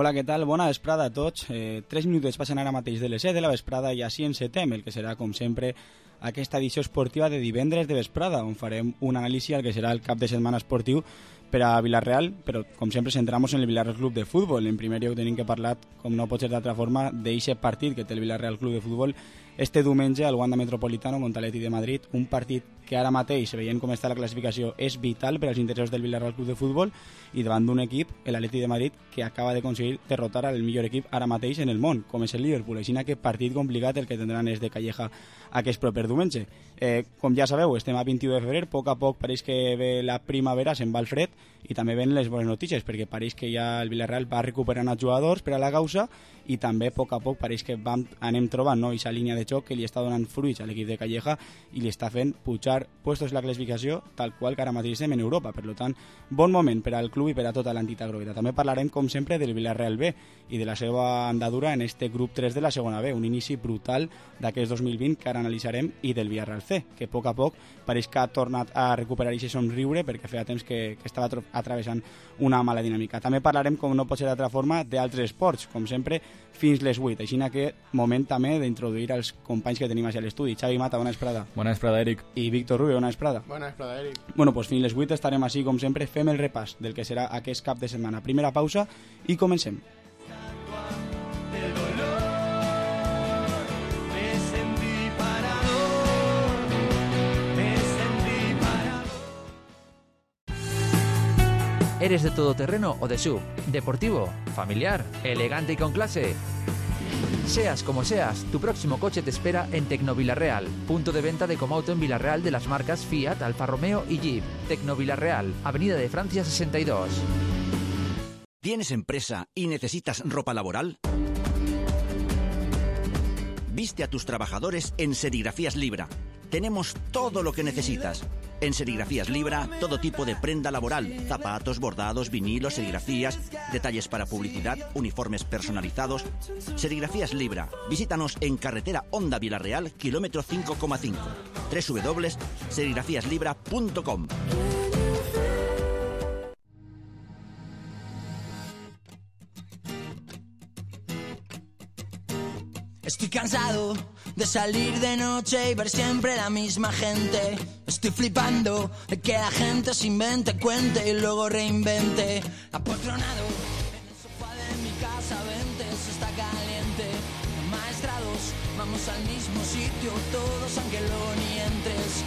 Hola, què tal? Bona vesprada a tots. 3 minutets passen ara mateix de les 7 de la vesprada i així encetem el que serà, com sempre, aquesta edició esportiva de divendres de vesprada, on farem un anàlisi al que serà el cap de setmana esportiu per a Vilareal, però com sempre centramos en el Vilareal Club de Futbol. En primer lloc tenim que parlar, com no pot ser d'altra forma, d'eixe partit que té el Vilareal Club de Futbol este diumenge al Wanda Metropolitano contra l'Atlètic de Madrid, un partit que ara mateix, veient com està la classificació, és vital per als interessos del Vilareal Club de Futbol i davant d'un equip, l'Atlètic de Madrid, que acaba d'aconseguir derrotar el millor equip ara mateix en el món, com és el Liverpool. Així que partit complicat el que tindran és de Calleja aquest proper diumenge. Com ja sabeu, estem a 21 de febrer, a poc pareix que ve la primavera, se'n va el fred, i també ven les bones notícies, perquè pareix que ja el Villarreal va recuperant els jugadors per a la causa i també a poc pareix que anem trobant aquesta línia de xoc que li està donant fruits a l'equip de Calleja i li està fent pujar puestos la classificació tal qual que ara mateix estem en Europa. Per tant, bon moment per al club i per a tota l'entitat grogueta. També parlarem, com sempre, del Villarreal B i de la seva andadura en este grup 3 de la segona B, un inici brutal d'aquest 2020 que ara analitzarem, i del Villarreal C, que a poc pareix que ha tornat a recuperar aquest somriure perquè feia temps que estava atravessant una mala dinàmica. També parlarem, com no pot ser d'altra forma, d'altres esports, com sempre, fins les 8. Així que moment també d'introduir els companys que tenim a l'estudi. Xavi Mata, bona vesprada. Bona vesprada, Eric. I Víctor Rubio, bona vesprada. Bona vesprada, Eric. Bueno, doncs fins les 8 estarem així, com sempre, fem el repàs del que serà aquest cap de setmana. Primera pausa i comencem. ¿Eres de todoterreno o de SUV? ¿Deportivo? ¿Familiar? ¿Elegante y con clase? Seas como seas, tu próximo coche te espera en Tecnovilarreal, punto de venta de Comauto en Vilarreal de las marcas Fiat, Alfa Romeo y Jeep. Tecnovilarreal, Avenida de Francia 62. ¿Tienes empresa y necesitas ropa laboral? Viste a tus trabajadores en Serigrafías Libra. Tenemos todo lo que necesitas. En Serigrafías Libra, todo tipo de prenda laboral, zapatos, bordados, vinilos, serigrafías, detalles para publicidad, uniformes personalizados. Serigrafías Libra. Visítanos en carretera Honda Vilarreal, kilómetro 5,5. www.serigrafíaslibra.com. Estoy cansado de salir de noche y ver siempre la misma gente. Estoy flipando de que la gente se invente, cuente y luego reinvente. Apoltronado en el sofá de mi casa, vente, eso está caliente. Maestrados, vamos al mismo sitio todos, aunque luego ni entres.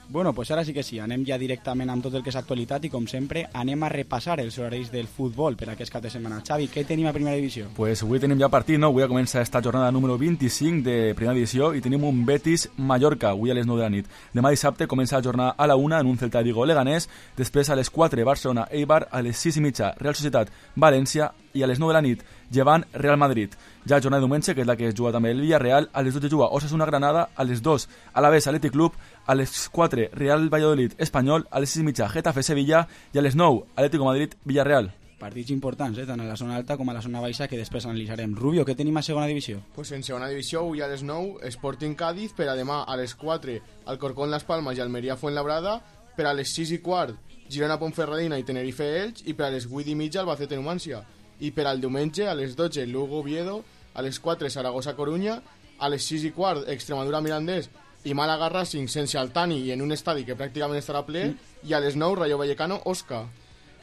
Bueno, pues ara sí que sí, anem ja directament amb tot el que és actualitat i, com sempre, anem a repassar els horaris del futbol per aquest cap de setmana. Xavi, què tenim a primera divisió? Pues avui tenim ja partit, no? Avui ja comença esta jornada número 25 de primera divisió i tenim un Betis-Mallorca, avui a les 9 de la nit. Demà dissabte comença la jornada a la 1 en un Celta de Vigo-Leganés, després a les 4 Barcelona-Eibar, a les 6 i mitja Real Societat-València i a les 9 de la nit Llevant-Real Madrid. Ja jornada de diumenge, que és la que es juga també el Villarreal, a les 12 juga Osasuna-Granada, a les 2 Alavés Athletic Club, a les 4 Real Valladolid-Espanyol, a les 6 i mitja Getafe-Sevilla i a les 9 Atlético Madrid-Villarreal. Partits importants, tant a la zona alta com a la zona baixa, que després analitzarem. Rubio, què tenim a segona divisió? Pues en segona divisió, avui a les 9, Sporting Cádiz, per a demà a les 4, Alcorcón Las Palmas i Almeria Fuenlabrada, per a les 6 i quart, Girona Ponferradina i Tenerife Elx, i per a les 8 i mitja, Albacete Numància. I per al diumenge, a les 12, Lugo Oviedo, a les 4, Saragossa Corunya, a les 6 i quart, Extremadura Mirandés i Málaga Racing sense Altani i en un estadi que pràcticament estarà ple, i a les 9, Rayo Vallecano Osca.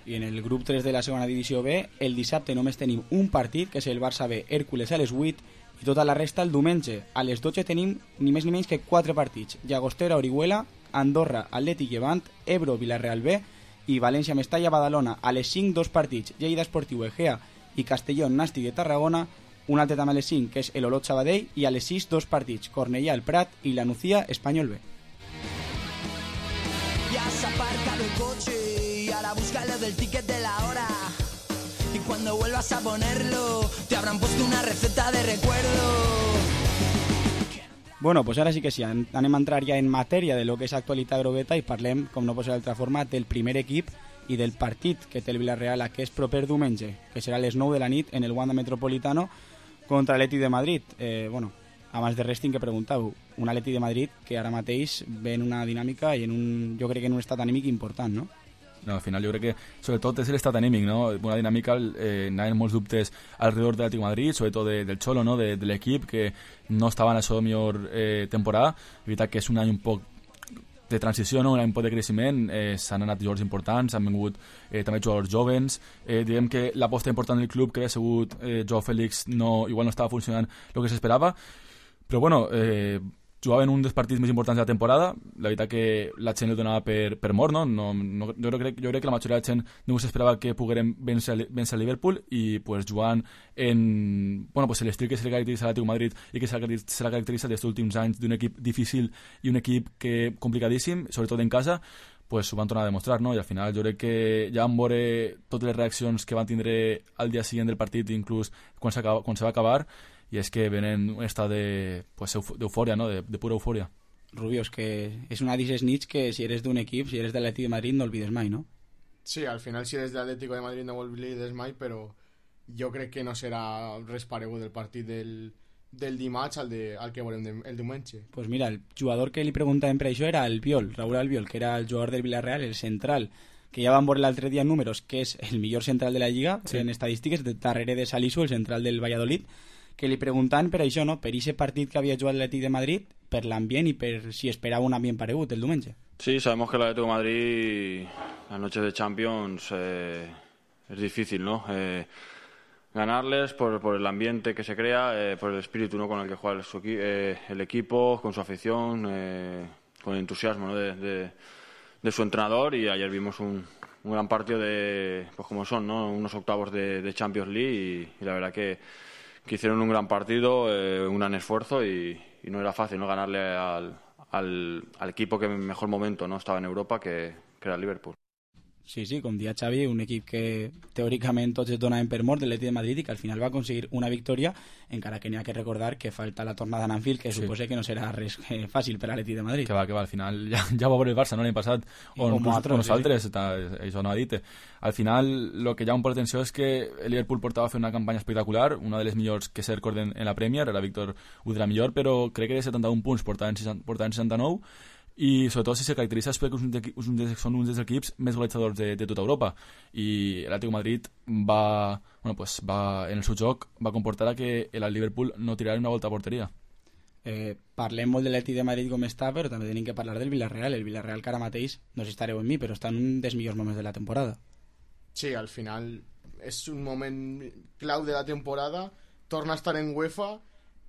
I en el grup 3 de la segona divisió B, el dissabte només tenim un partit, que és el Barça B Hércules a les 8, i tota la resta el diumenge. A les 12 tenim ni més ni menys que 4 partits: Llagostera Orihuela, Andorra Atlètic Llevant, Ebro Vilareal B i València Mestalla Badalona. A les 5 2 partits: Lleida Esportiu Egea i Castellón Nàstic de Tarragona. Un altre també a les 5, que és el Olot Sabadell, i a les 6 2 partits: Cornellà El Prat i la Nucía Espanyol B. Ya has aparcado el coche y ahora búscalo del ticket de la hora. Y cuando vuelvas a ponerlo, te habrán puesto una receta de recuerdo. Bueno, pues ara sí que sí, anem a entrar ja en matèria de lo que és actualitat grogueta i parlem, com no pot ser d'altra forma, del primer equip i del partit que té el Villarreal aquest proper diumenge, que serà a les 9 de la nit en el Wanda Metropolitano contra l'Atlètic de Madrid. Abans de res tinc que preguntar-ho, un Atlètic de Madrid que ara mateix ve en una dinàmica i jo crec que en un estat anímic important, no? No, al final jo crec que sobretot és l'estat anímic, no? Una dinàmica, anaven molts dubtes alrededor de l'Atlético de Madrid, sobretot del Cholo, no? de l'equip, que no estava en la seva millor temporada. És veritat que és un any un poc de transició, no? Un any un poc de creixement, s'han anat jugadors importants, han vingut també jugadors jovens, diguem que l'aposta important del club que havia sigut Joao Félix igual no estava funcionant el que s'esperava, però bueno, jugaven un dels partits més importants de la temporada. La veritat que la gent el donava per mort, no? Jo crec que la majoria de la gent no s'esperava que poguérem vèncer el Liverpool, i pues, jugant en l'estil que se li caracteritza a l'Atlètic Madrid i que se la caracteritza dels últims anys d'un equip difícil i un equip complicadíssim, sobretot en casa, pues ho van tornar a demostrar, no? I al final jo crec que ja vam veure totes les reaccions que van tindre al dia següent del partit, inclús quan se va acabar, i és que venen un estat d'eufòria, no? De pura eufòria. Rubio, és que és una d'aquestes nits que si eres d'un equip, si eres de l'Atlètic de Madrid, no olvides mai, no? Sí, al final si eres de l'Atlético de Madrid no olvides mai, però jo crec que no serà res paregut del partit del dimarts al que veurem el diumenge. Pues mira, el jugador que li preguntàvem per això era Raúl Albiol, que era el jugador del Villarreal, el central, que ja van veure l'altre dia en números, que és el millor central de la Lliga, sí, en estadístiques, darrere de Salisu, el central del Valladolid, que li preguntaven per això, no? Per aquest partit que havia jugat l'Atlètic de Madrid, per l'ambient i per si esperava un ambient paregut el diumenge. Sí, sabemos que el Atlético de Madrid, las noches de Champions, es difícil, ¿no? Ganarles por el ambiente que se crea, por el espíritu, ¿no? Con el que juega el equipo, con su afición, con el entusiasmo, ¿no? de su entrenador. Y ayer vimos un gran partido pues como son, ¿no? Unos octavos de Champions League, y la verdad que hicieron un gran partido, un gran esfuerzo, y no era fácil, ¿no? Ganarle al equipo que en mejor momento, ¿no? Estaba en Europa, que era el Liverpool. Sí, com dia Xavi, un equip que teòricament tots es donaven per mort de l'Atlètic de Madrid i que al final va aconseguir una victòria, encara que n'hi ha que recordar que falta la tornada a Anfield, que sí, suposa que no serà res fàcil per a l'Atlètic de Madrid. Que va, al final ja va veure el Barça, no? L'any passat, on nosaltres, això no ha dit. Al final, el que llama por l'atenció és que el Liverpool portava a fer una campanya espectacular, una de les millors que se recorden en la Premier, era Víctor Ud de la millor, però crec que de 71 punts portaven 69, i sobretot si se caracteritza és perquè són uns dels equips més golejadors de tota Europa, i l'Atlético de Madrid va, en el seu joc va comportar que el Liverpool no tirarà una volta a porteria. Parlem molt de l'Atlètic de Madrid com està, però també tenim que parlar del Villarreal. El Villarreal que ara mateix, no sé si estareu en mi, però està en un dels millors moments de la temporada. Sí, al final és un moment clau de la temporada, torna a estar en UEFA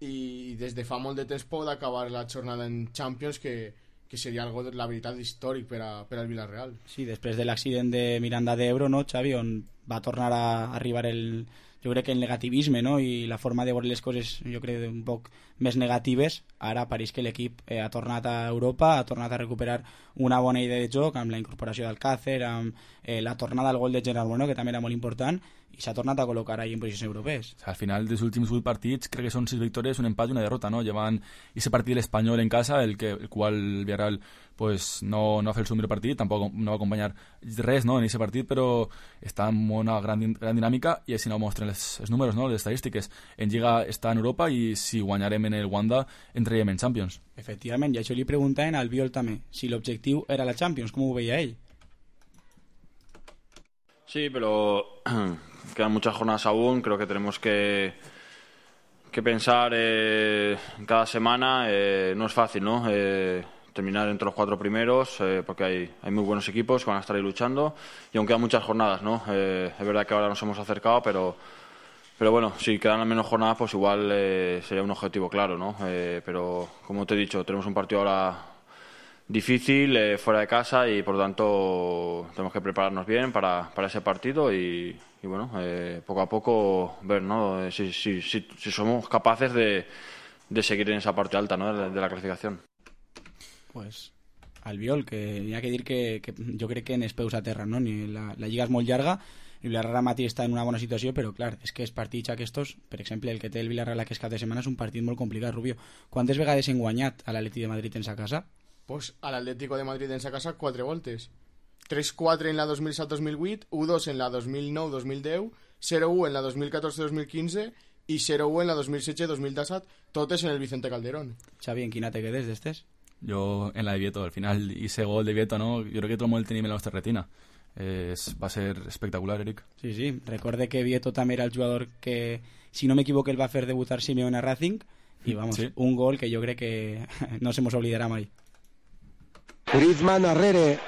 i des de fa molt de temps pot acabar la jornada en Champions, que seria algo, la veritat, històric per al Villarreal. Sí, després de l'accident de Miranda de Ebro, no, Xavi, on va tornar a arribar jo crec que el negativisme, no? I la forma de veure les coses, jo crec, un poc més negatives. Ara pareix que l'equip ha tornat a Europa, ha tornat a recuperar una bona idea de joc, amb la incorporació d'Alcácer, amb la tornada al gol de Gerard Bueno, que també era molt important, i s'ha tornat a col·locar ahí en posicions europees. Al final dels últims 8 partits crec que són 6 victòries, un empat i una derrota, no? Llevant ese partit de l'Espanyol en casa, el qual el Villarreal pues no va fer el seu millor partit, tampoc no va acompanyar res, no, en aquest partit, però està en una gran dinàmica, i així no mostren els números, no, les estadístiques. En Lliga està en Europa, i si guanyarem en el Wanda entraríem en Champions. Efectivament, i això li preguntaven al Biol també, si l'objectiu era la Champions, com ho veia ell? Sí, pero quedan muchas jornadas aún. Creo que tenemos que pensar cada semana. No es fácil, ¿no? Terminar entre los 4 primeros, porque hay muy buenos equipos que van a estar ahí luchando, y aún quedan muchas jornadas, ¿no? Es verdad que ahora nos hemos acercado, pero bueno, si quedan al menos jornadas, pues igual sería un objetivo claro, ¿no? Pero como te he dicho, tenemos un partido ahora difícil, fuera de casa, y por lo tanto tenemos que prepararnos bien para ese partido, y bueno, poco a poco ver, ¿no? Si somos capaces de seguir en esa parte alta, ¿no? de la clasificación. Pues Albiol, que hi ha que dir que jo crec que en els peus a terra, no? La Lliga és molt llarga, i el Villarreal mateix està en una bona situació, però clar, és que els partits aquests, per exemple el que té el Villarreal aquest cap de setmana, és un partit molt complicat, Rubio. Quantes vegades hem guanyat a l'Atlètic de Madrid en sa casa? Pues a l'Atlético de Madrid en sa casa 4 voltes. 3-4 en la 2007-2008, 1-2 en la 2009-2010, 0-1 en la 2014-2015 i 0-1 en la 2016-2017, totes en el Vicente Calderón. Xavi, en quina te quedes d'estes? Jo en la de Vieto, al final, i ese gol de Vieto, no? Jo crec que tot el món el tenim en la nostra retina. Va a ser espectacular, Eric. Sí. Recorde que Vieto també era el jugador que, si no m'equivoco, el va fer debutar Simeone a Racing i vamos, Sí. un gol que jo crec que no se mos oblidarà mai. Griezmann arrere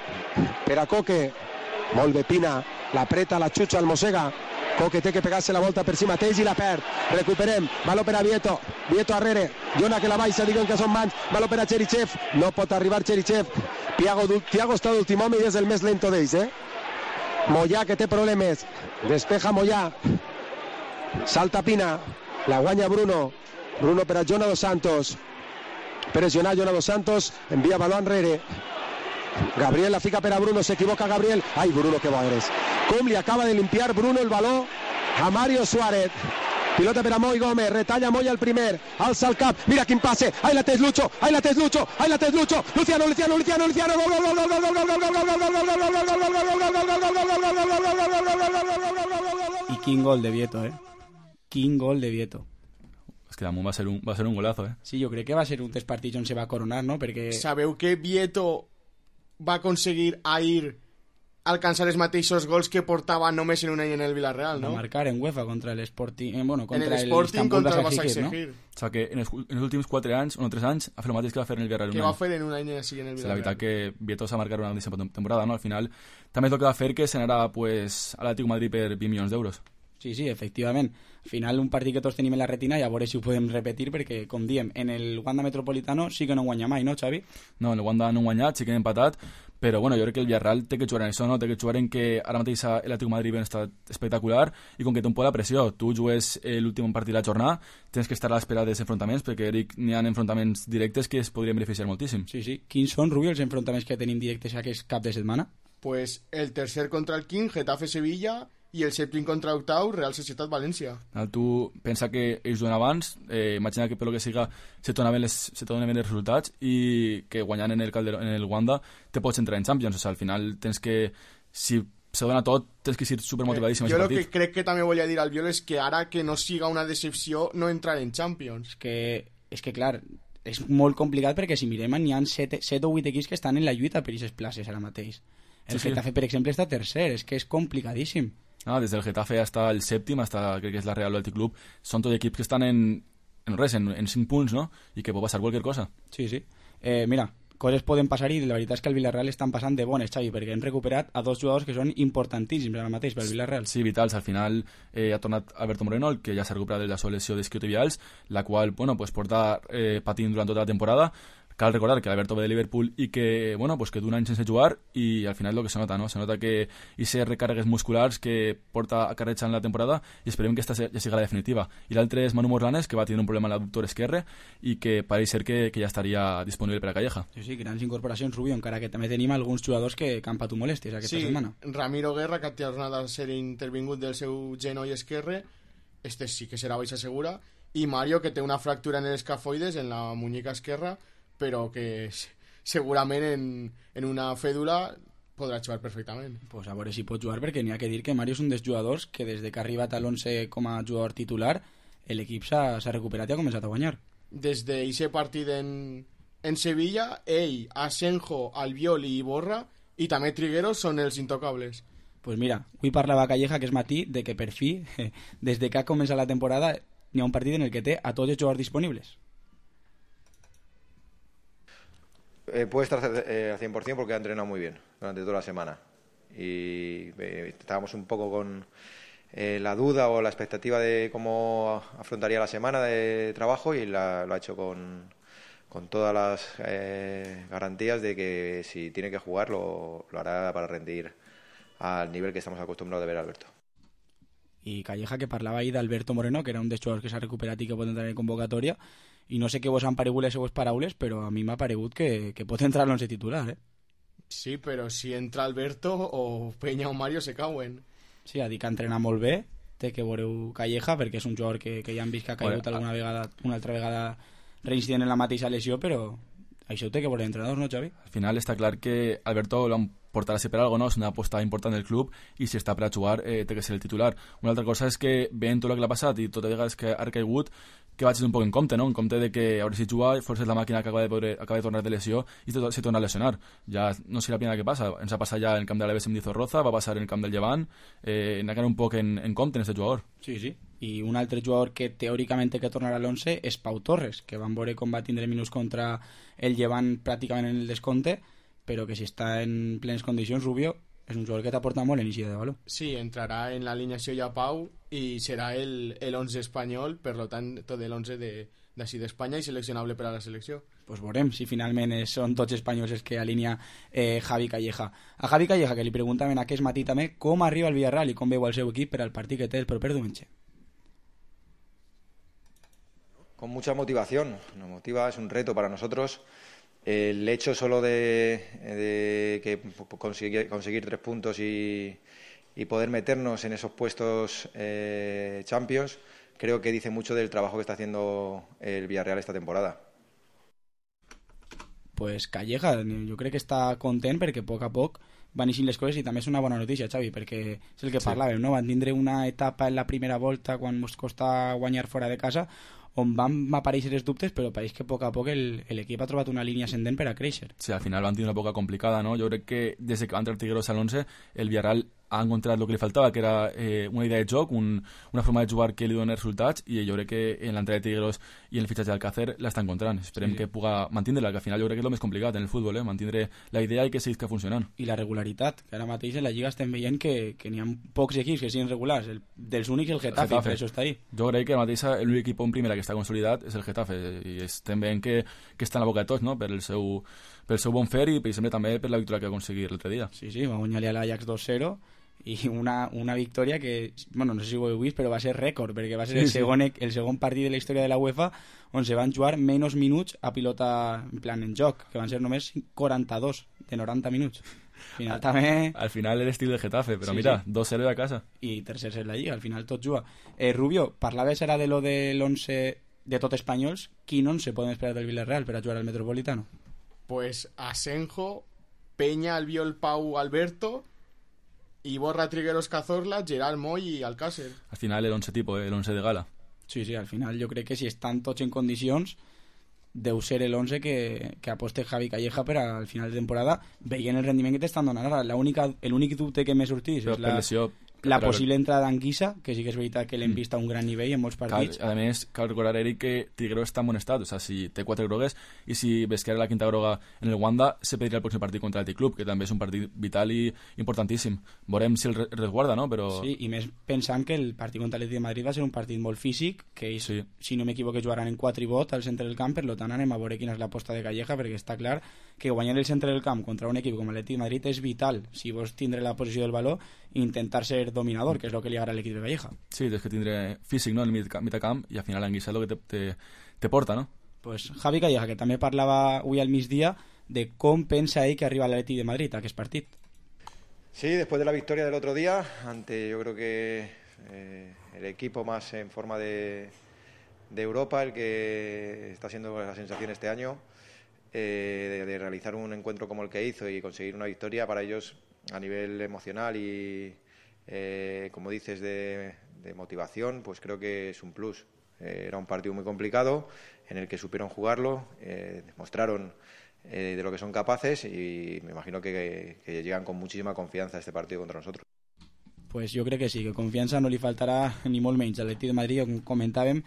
per a Coque, molt bé Pina, l'apreta, la xutxa, el mossega. Coque té que pegar-se la volta per si mateix i la perd. Recuperem, valor per a Vieto, Vieto arrere, Jona que la baixa, diuen que són mans, valor per a Cherichev, no pot arribar Cherichev. Thiago està d'últim home i és el més lento d'ells, Moyà que té problemes, despeja Moyà, salta Pina, la guanya Bruno per a Jona dos Santos, pressionar Jona dos Santos, envia baló enrere, Gabriel la fica per a Bruno, s'equivoca Gabriel, ai Bruno que bo eres, com li acaba de limpiar Bruno el baló a Mario Suárez. Pilota per a Moi Gómez, retalla Moi al primer, alça el cap, mira quin passe, ahí la tens Lucho, Luciano, I quin gol de Vieto, Quin gol de Vieto. És que damunt va ser un golazo, Sí, jo crec que va ser un dels partits on se va coronar, no? Perquè... Sabeu que Vieto va aconseguir ahir alcançar els mateixos gols que portava només en un any en el Villarreal, no? Va marcar en UEFA contra el Sporting, contra en el Sporting contra el Başakşehir, Başakşehir, O sigui que en els últims 4 anys, o 3 anys, ha fet el mateix que va fer en el Villarreal. que va fer en un any així en el La Villarreal. veritat que Vieto s'ha marcat una grandíssima temporada, no? Al final, també és el que va fer que se n'anara pues, a l'Atlètic Madrid per 20 milions d'euros. Sí, efectivament. Al final, un partit que tots tenim en la retina, i a veure si ho podem repetir, perquè, com diem, en el Wanda Metropolitano sí que no guanya mai, no, Xavi? No, en el Wanda no han guanyat, sí que han empatat, però bueno, jo crec que el Villarreal té que jugar en això, no? Té que jugar en que ara mateix l'Atlètic Madrid ha estat espectacular i com que té un poc la pressió, tu jugues l'últim partit de la jornada, tens que estar a l'espera dels enfrontaments, perquè Eric, n'hi ha enfrontaments directes que es podrien beneficiar moltíssim. Sí. Quins són, Rubio, els enfrontaments que tenim directes aquest cap de setmana? Pues el tercer contra el King, Getafe-Sevilla, i el sèptim contra octau, Real Societat-València. Tu pensa que ells juguen abans, imagina que per lo que siga se donen bé els resultats i que guanyant en el Wanda te pots entrar en Champions. O sigui, al final tens que, si se dona tot, tens que ser supermotivadíssim. Jo el que crec que també volia dir al Viol és que ara que no siga una decepció no entrar en Champions. És que clar, és molt complicat perquè si mirem n'hi ha 7 o 8 equips que estan en la lluita per aquestes places ara mateix. El Getafe, per exemple, està tercer, és que és complicadíssim. Des del Getafe hasta el sèptim, hasta crec que és la Real Athletic Club, són tots equips que estan en 5 punts, no? I que pot passar qualsevol cosa. Sí. Mira, coses poden passar i la veritat és que el Villarreal estan passant de bones, Xavi, perquè hem recuperat a 2 jugadors que són importantíssims ara mateix pel Villarreal. Sí, vitals. Al final ha tornat Alberto Moreno, el que ja s'ha recuperat de la seva lesió d'isquiotibials, la qual porta patint durant tota la temporada. Cal recordar que Alberto ve de Liverpool i que, que d'un any sense jugar i al final el que se nota, no? Se nota que aquestes recàrregues musculars que porta acarretjant la temporada i esperem que aquesta ja siga la definitiva. I l'altre és Manu Morlanes, que va tenir un problema a l'adductor esquerre i que pareix ser que ja estaria disponible per a Calleja. Sí, grans incorporacions, Rubio, encara que també tenim alguns jugadors que han patit molèsties aquesta setmana. Ramiro Guerra, que ha tornat a ser intervingut del seu genoll esquerre, sí que serà baixa segura, i Mario, que té una fractura en els escafoides, en la muñeca esquerra, però que segurament en una fèdula podrà jugar perfectament. Pues a veure si pot jugar, perquè n'hi ha que dir que Mario és un dels jugadors que des que ha arribat a l'11 com a jugador titular l'equip s'ha recuperat i ha començat a guanyar. Des d'aquest partit en Sevilla, ell, Asenjo, Albiol i Iborra i també Trigueros són els intocables. Pues mira, avui parlava Calleja aquest matí de que per fi, des que ha començat la temporada, n'hi ha un partit en el que té a tots els jugadors disponibles. Puede estar al 100% porque ha entrenado muy bien durante toda la semana y estábamos un poco con la duda o la expectativa de cómo afrontaría la semana de trabajo y lo ha hecho con todas las garantías de que si tiene que jugar lo hará para rendir al nivel que estamos acostumbrados de ver a Alberto. I Calleja, que parlava ahir d'Alberto Moreno, que era un dels jugadors que s'ha recuperat i que pot entrar en convocatòria, i no sé què vos han paregut les seues paraules, però a mi m'ha paregut que pot entrar a l'11 titular, Sí, però si entra Alberto o Peña o Mario se cauen. Sí, ha dit que entrena molt bé, té que veureu Calleja, perquè és un jugador que ja han vist que ha caigut una altra vegada reincident en la mateixa lesió, però això ho té que veure l'entrenador, no, Xavi? Al final està clar que Alberto l'han portarà per algo, no? És una aposta important del club i si està per a jugar té que ser el titular. Una altra cosa és que veient tot el que l'ha passat i tot a vegades que ha caigut, que vaig un poc en compte, no? En compte de que a veure si juga, força és la màquina que acaba de tornar de lesió i se torna a lesionar. Ja no sé la primera que passa, ens ha passat ja en el camp de l'Alavés amb Dizorroza, va passar en el camp del Llevant, hem d'anar un poc en compte en aquest jugador. Sí, sí. I un altre jugador que teòricament té que tornar a l'11 és Pau Torres, que van veure com va tindre minuts contra el Llevant pràcticament en el descompte, però que si està en plenes condicions, Rubio, és un jugador que t'aporta molt en inici de valor. Sí, entrarà en l'alineació ja Pau i serà el 11 espanyol, per tant, tot l'11 d'ací d'Espanya i seleccionable per a la selecció. Pues veurem si finalment són tots espanyols els que alinea Javi Calleja. A Javi Calleja, que li preguntaven aquest matí també com arriba el Villarreal i com veu el seu equip per al partit que té el proper diumenge. Con mucha motivación, nos motiva, es un reto para nosotros. El hecho solo de que conseguir 3 puntos y poder meternos en esos puestos Champions, creo que dice mucho del trabajo que está haciendo el Villarreal esta temporada. Pues Calleja, jo crec que està content perquè a poc van eixint les coses i també és una bona notícia, Xavi, perquè és el que parlàvem, no? Van tindre una etapa en la primera volta quan ens costa guanyar fora de casa on van aparèixer els dubtes, però pareix que a poc l'equip ha trobat una línia ascendent per a créixer. Sí, al final van tenir una època complicada, ¿no? Jo crec que des que va entrar el Tigueros al 11, el Villarreal ha encontrat el que li faltava, que era una idea de joc, una forma de jugar que li doni resultats, i jo crec que en l'entrada de Tigueros i en el fitxatge d'Alcácer l'està encontrant. Esperem que puga mantenir-la, que al final jo crec que és el més complicat en el futbol, mantenir la idea i que seguisca funcionant. I la regularitat, que ara mateix en la Lliga estem veient que n'hi ha pocs equips que siguin regulars, dels únics el Getafe, per això està ahí. Jo crec que mateix l'únic equip en primera que està consolidat és el Getafe, i estem veient que està en la boca de tots, no? Per el seu bon fer i també per la victòria que va aconseguir l'altre dia. Sí, va guanyar-li a l'Ajax 2-0 i una victòria que, bueno, no sé si ho heu vist, però va ser rècord, perquè va ser el segon partit de la història de la UEFA on se van jugar menys minuts a pilota en plan en joc, que van ser només 42 de 90 minuts. Al final l'estil del Getafe, però mira, 2-0 a casa. I tercers en la Lliga, al final tot juga. Rubio, parlaves ara de lo de l'11 de tot espanyols, quin 11 podem esperar del Villarreal per a jugar al Metropolitano? Pues Asenjo, Peña, Albiol, Pau, Alberto, Iborra, Trigueros, Cazorla, Gerard, Moy i Alcácer. Al final el 11 tipo, el 11 de gala. Sí, al final jo crec que si estan tots en condicions deu ser el 11 que aposte Javi Calleja per al final de temporada, veient el rendiment que t'estan donant ara. L'únic dubte que m'he sortit és la possible entrada d'Anguissa, que sí que és veritat que l'hem vist a un gran nivell en molts partits. A més, cal recordar, Eric, que Tigueros està en bon estat, o sea, si té 4 grogues i si ves que era la quinta groga en el Wanda, se pedirà el pròxim partit contra el Club, que també és un partit vital i importantíssim. Veurem si el resguarda, no? Però... Sí, i més pensant que el partit contra l'Atlètic de Madrid va ser un partit molt físic, que ells, si no m'equivoco, jugaran en 4 i bot al centre del camp, per tant anem a veure quina és l'aposta de Calleja, perquè està clar que guanyar el centre del camp contra un equip com l'Atlètic de Madrid és vital, si vols tindre la posició del valor i intentar ser dominador, que és el que li agrada a l'equip de Calleja. Sí, és que tindre físic, no?, en el mitjacamp, i al final l'Anguissa és el que te porta, no? Pues Javi Calleja, que també parlava avui al migdia de com pensa ell que arriba l'Atlètic de Madrid a aquest partit. Sí, después de la victoria del otro día, ante yo creo que el equipo más en forma de Europa, el que está siendo la sensación este año, de realizar un encuentro como el que hizo y conseguir una victoria para ellos a nivel emocional y, como dices, de motivación, pues creo que es un plus. Era un partido muy complicado en el que supieron jugarlo, demostraron de lo que son capaces y me imagino que llegan con muchísima confianza a este partido contra nosotros. Pues jo crec que sí, que confiança no li faltarà ni molt menys a l'Atlètic de Madrid, com comentàvem.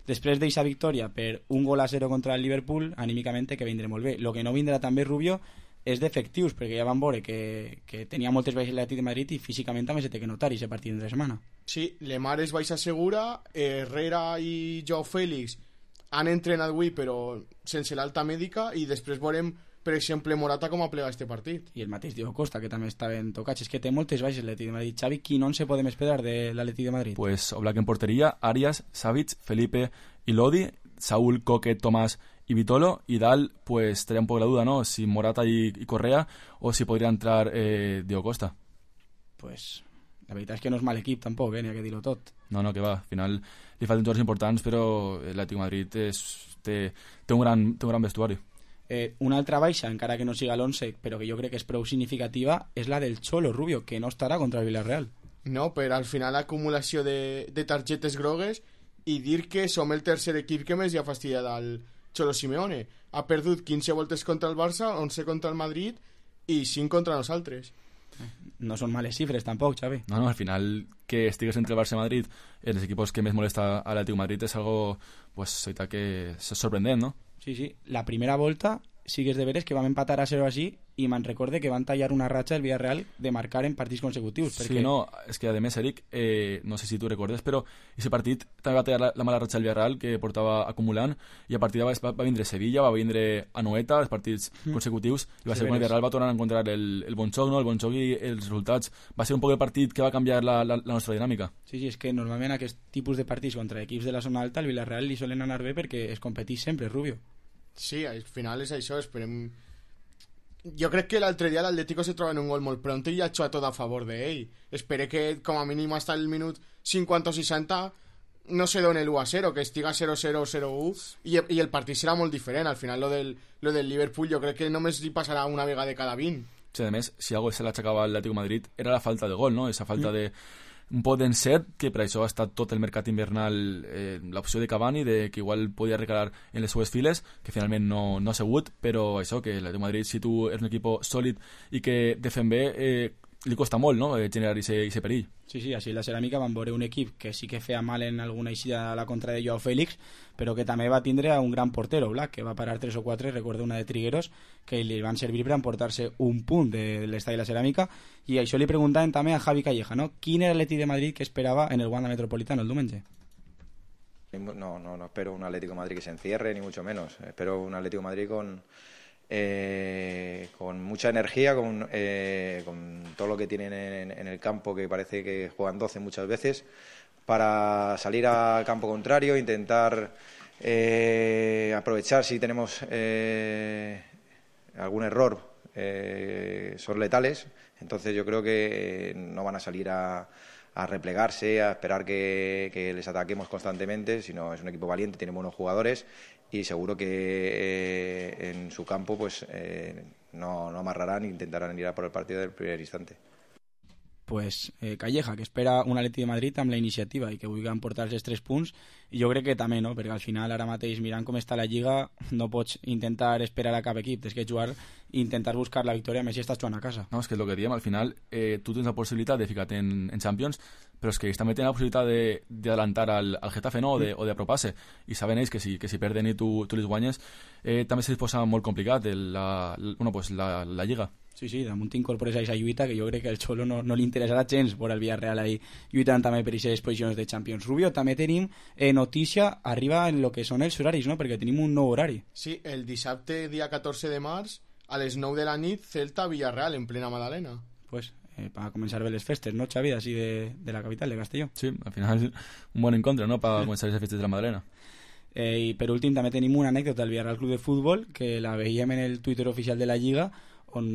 Després d'eixa victòria per 1-0 contra el Liverpool, anímicament que vindrà molt bé. El que no vindrà també, Rubio, és d'efectius, perquè ja van veure que tenia moltes baixes l'Atlètic de Madrid i físicament també se té que notar i se partit entre setmana. Sí, Lemar és baixa segura, Herrera i Joao Félix han entrenat avui però sense l'alta mèdica i després veurem, per exemple, Morata com a plegar este partit. I el mateix Diego Costa, que també estaven tocats. És que té moltes baixes l'Atlètic de Madrid. Xavi, quin 11 podem esperar de l'Atlètic de Madrid? Pues Oblak en porteria, Arias, Savic, Felipe y Lodi, Saúl, Coque, Tomás y Vitolo, y Dal, pues estaría un poco la duda, ¿no? Si Morata y Correa o si podría entrar Diego Costa. Pues la veritat és que no és mal equip tampoc, n'hi ha que dir-ho tot. No, que va, al final li falten jugadors importants, però l'Atlètic de Madrid té un gran vestuari. Una altra baixa, encara que no siga l'11, però que jo crec que és prou significativa, és la del Cholo Rubio, que no estarà contra el Villarreal. No, però al final l'acumulació de targetes grogues i dir que som el tercer equip que més hi ha fastidiat al Cholo Simeone. Ha perdut 15 voltes contra el Barça, 11 contra el Madrid i 5 contra nosaltres. No són males xifres tampoc, Xavi. No, al final que estigues entre el Barça i Madrid en els equipos que més molesta a l'Atlético Madrid és algo, pues, que és sorprendent, no? Sí. La primera volta sí que és de veres que vam empatar a 0 així i me'n recorde que van tallar una ratxa el Villarreal de marcar en partits consecutius. Sí, perquè... no, és que a més, Eric, no sé si tu recordes, però aquest partit també va tallar la mala ratxa del Villarreal que portava acumulant, i a partir d'ara va vindre Sevilla, va vindre Anoeta, els partits consecutius, i va ser quan el Villarreal va tornar a encontrar el bon xoc, no? El bon xoc i els resultats. Va ser un poc el partit que va canviar la nostra dinàmica. Sí, és que normalment aquest tipus de partits contra equips de la zona alta al Villarreal li solen anar bé perquè es competeix sempre, Rubio. Sí, al final és això, esperem... Jo crec que l'altre dia l'Atlético se troba en un gol molt pronto i ha hecho a tot a favor d'ell. Espero que com a mínim hasta el minut 50 o 60 no se doni l'1-0, que estiga 0-0 o 0-1 i el partit serà molt diferent. Al final lo del Liverpool jo crec que només li passarà una vegada de cada 20. Sí, a més, si algo se l'achacava al Atlético de Madrid era la falta de gol, no? Esa falta de un pot d'encert, que per això ha estat tot el mercat invernal l'opció de Cavani, de que igual podia recalar en les seues files, que finalment no ha sigut, però això, que l'Atlético de Madrid, si tu eres un equip sòlid i que defen bé, li costa molt, no?, generar ese perill. Sí, així la Ceràmica van veure un equip que sí que feia mal en alguna eixida a la contra de Joao Félix, però que també va tindre a un gran portero, Black, que va parar 3 o 4, recordo una de Trigueros, que li van servir per emportar-se un punt de l'estadi de la Ceràmica, i això li preguntaven també a Javi Calleja, no? Quin era l'Atlètic de Madrid que esperava en el Wanda Metropolitano el diumenge? No espero un Atlético de Madrid que se encierre, ni mucho menos. Espero un Atlético de Madrid con mucha energía, con todo lo que tienen en el campo, que parece que juegan 12 muchas veces, para salir al campo contrario, intentar aprovechar si tenemos algún error, son letales. Entonces yo creo que no van a salir a replegarse, a esperar que les ataquemos constantemente, sino es un equipo valiente, tiene buenos jugadores y seguro que en su campo pues no amarrarán e intentarán ir a por el partido del primer instante. Pues Calleja, que espera un Atlètic de Madrid amb la iniciativa i que vulgui emportar-se els 3 punts, i jo crec que també, no? Perquè al final ara mateix, mirant com està la Lliga, no pots intentar esperar a cap equip, tens que jugar i intentar buscar la victòria, més si estàs jugant a casa. No, és que és el que diem, al final tu tens la possibilitat de ficar-te en Champions, però és que ells també tenen la possibilitat d'adelantar al Getafe, no? o d'apropar-se, i saben ells que si perden i tu les guanyes, també se les posa molt complicat la Lliga. Sí, damunt t'incorpores a aquesta lluita, que jo crec que al Xolo no li interessarà gens veure el Villarreal ahí lluitant també per aquestes posicions de Champions. Rubio, també tenim notícia, arriba en el que són els horaris, no? Perquè tenim un nou horari. Sí, el dissabte, dia 14 de març, a les 9 de la nit, Celta-Villarreal, en plena Madalena. Pues para començar bé les festes, ¿no, Xavi? Así de la capital, de Castelló. Sí, al final un bon encontre, ¿no?, para començar les festes de la Madalena. I per últim també tenim una anècdota del Villarreal Club de Futbol, que la veiem en el Twitter oficial de la Lliga, on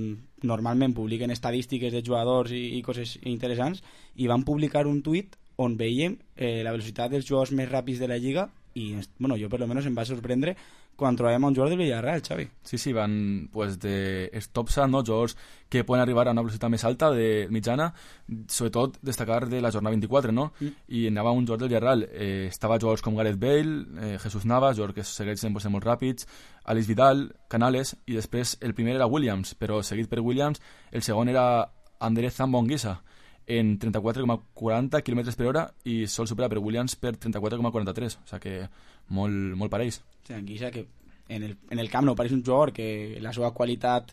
normalment publiquen estadístiques de jugadors i coses interessants, i van publicar un tuit on veiem la velocitat dels jugadors més ràpids de la Lliga, i bueno, jo per lo menos em va sorprendre quan trobem a un jugador del Villarreal, Xavi. Sí, van pues de Stopsa, no? Jugadors que poden arribar a una velocitat més alta, de mitjana, sobretot destacar de la jornada 24, no? I anava un jugador del Villarreal, estava jugadors com Gareth Bale, Jesús Navas, jugadors que segueixen pues, molt ràpids, Alex Vidal, Canales, i després el primer era Williams, però seguit per Williams, el segon era Andrés Zambonguisa, en 34,40 km per hora, i sol superar per Williams per 34,43, o sigui que molt parells. Sí, Anguissa, que en el camp no pareix un jugador que la seva qualitat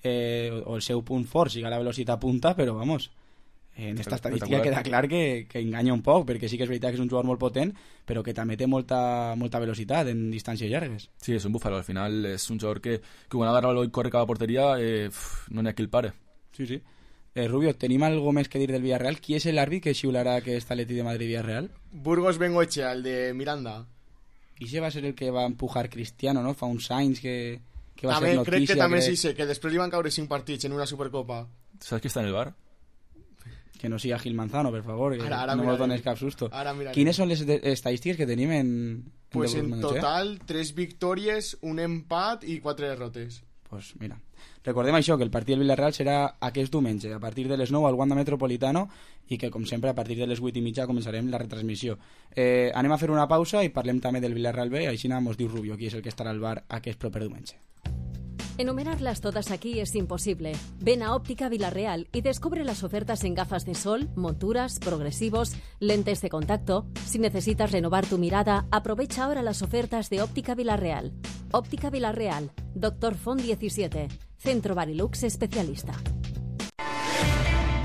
o el seu punt fort siga la velocitat punta, però vamos, en esta estadística queda clar que enganya un poc, perquè sí que és veritat que és un jugador molt potent, però que també té molta velocitat en distàncies llargues. Sí, és un búfalo, al final és un jugador que quan agarra i corre cada porteria no n'hi ha qui el pare. Sí. Rubio, tenim algo més que dir del Villarreal? Qui és l'àrbit que xiularà aquest Atlètic de Madrid-Villarreal? Burgos Bengoechea, el de Miranda. I ese va ser el que va empujar Cristiano, no? Fa uns anys que va també, ser notícia. Crec que també sí sé, que després li van caure 5 partits en una Supercopa. Saps qui està en el bar? Que no siga Gil Manzano, per favor, que Ara no mos dones cap susto. Mira, Quines són les estadístiques que tenim en pues en total 3 victòries, un empat i 4 derrotes. Pues mira, recordem això, que el partit del Villarreal serà aquest diumenge a partir de les 9 al Wanda Metropolitano i que com sempre a partir de les 8:30 començarem la retransmissió. Anem a fer una pausa i parlem també del Villarreal B, així mos diu Rubio qui és el que estarà al bar aquest proper diumenge. Enumerarlas todas aquí es imposible. Ven a Óptica Villarreal y descubre las ofertas en gafas de sol, monturas, progresivos, lentes de contacto. Si necesitas renovar tu mirada, aprovecha ahora las ofertas de Óptica Villarreal. Óptica Villarreal, Dr. Font 17, Centro Barilux especialista.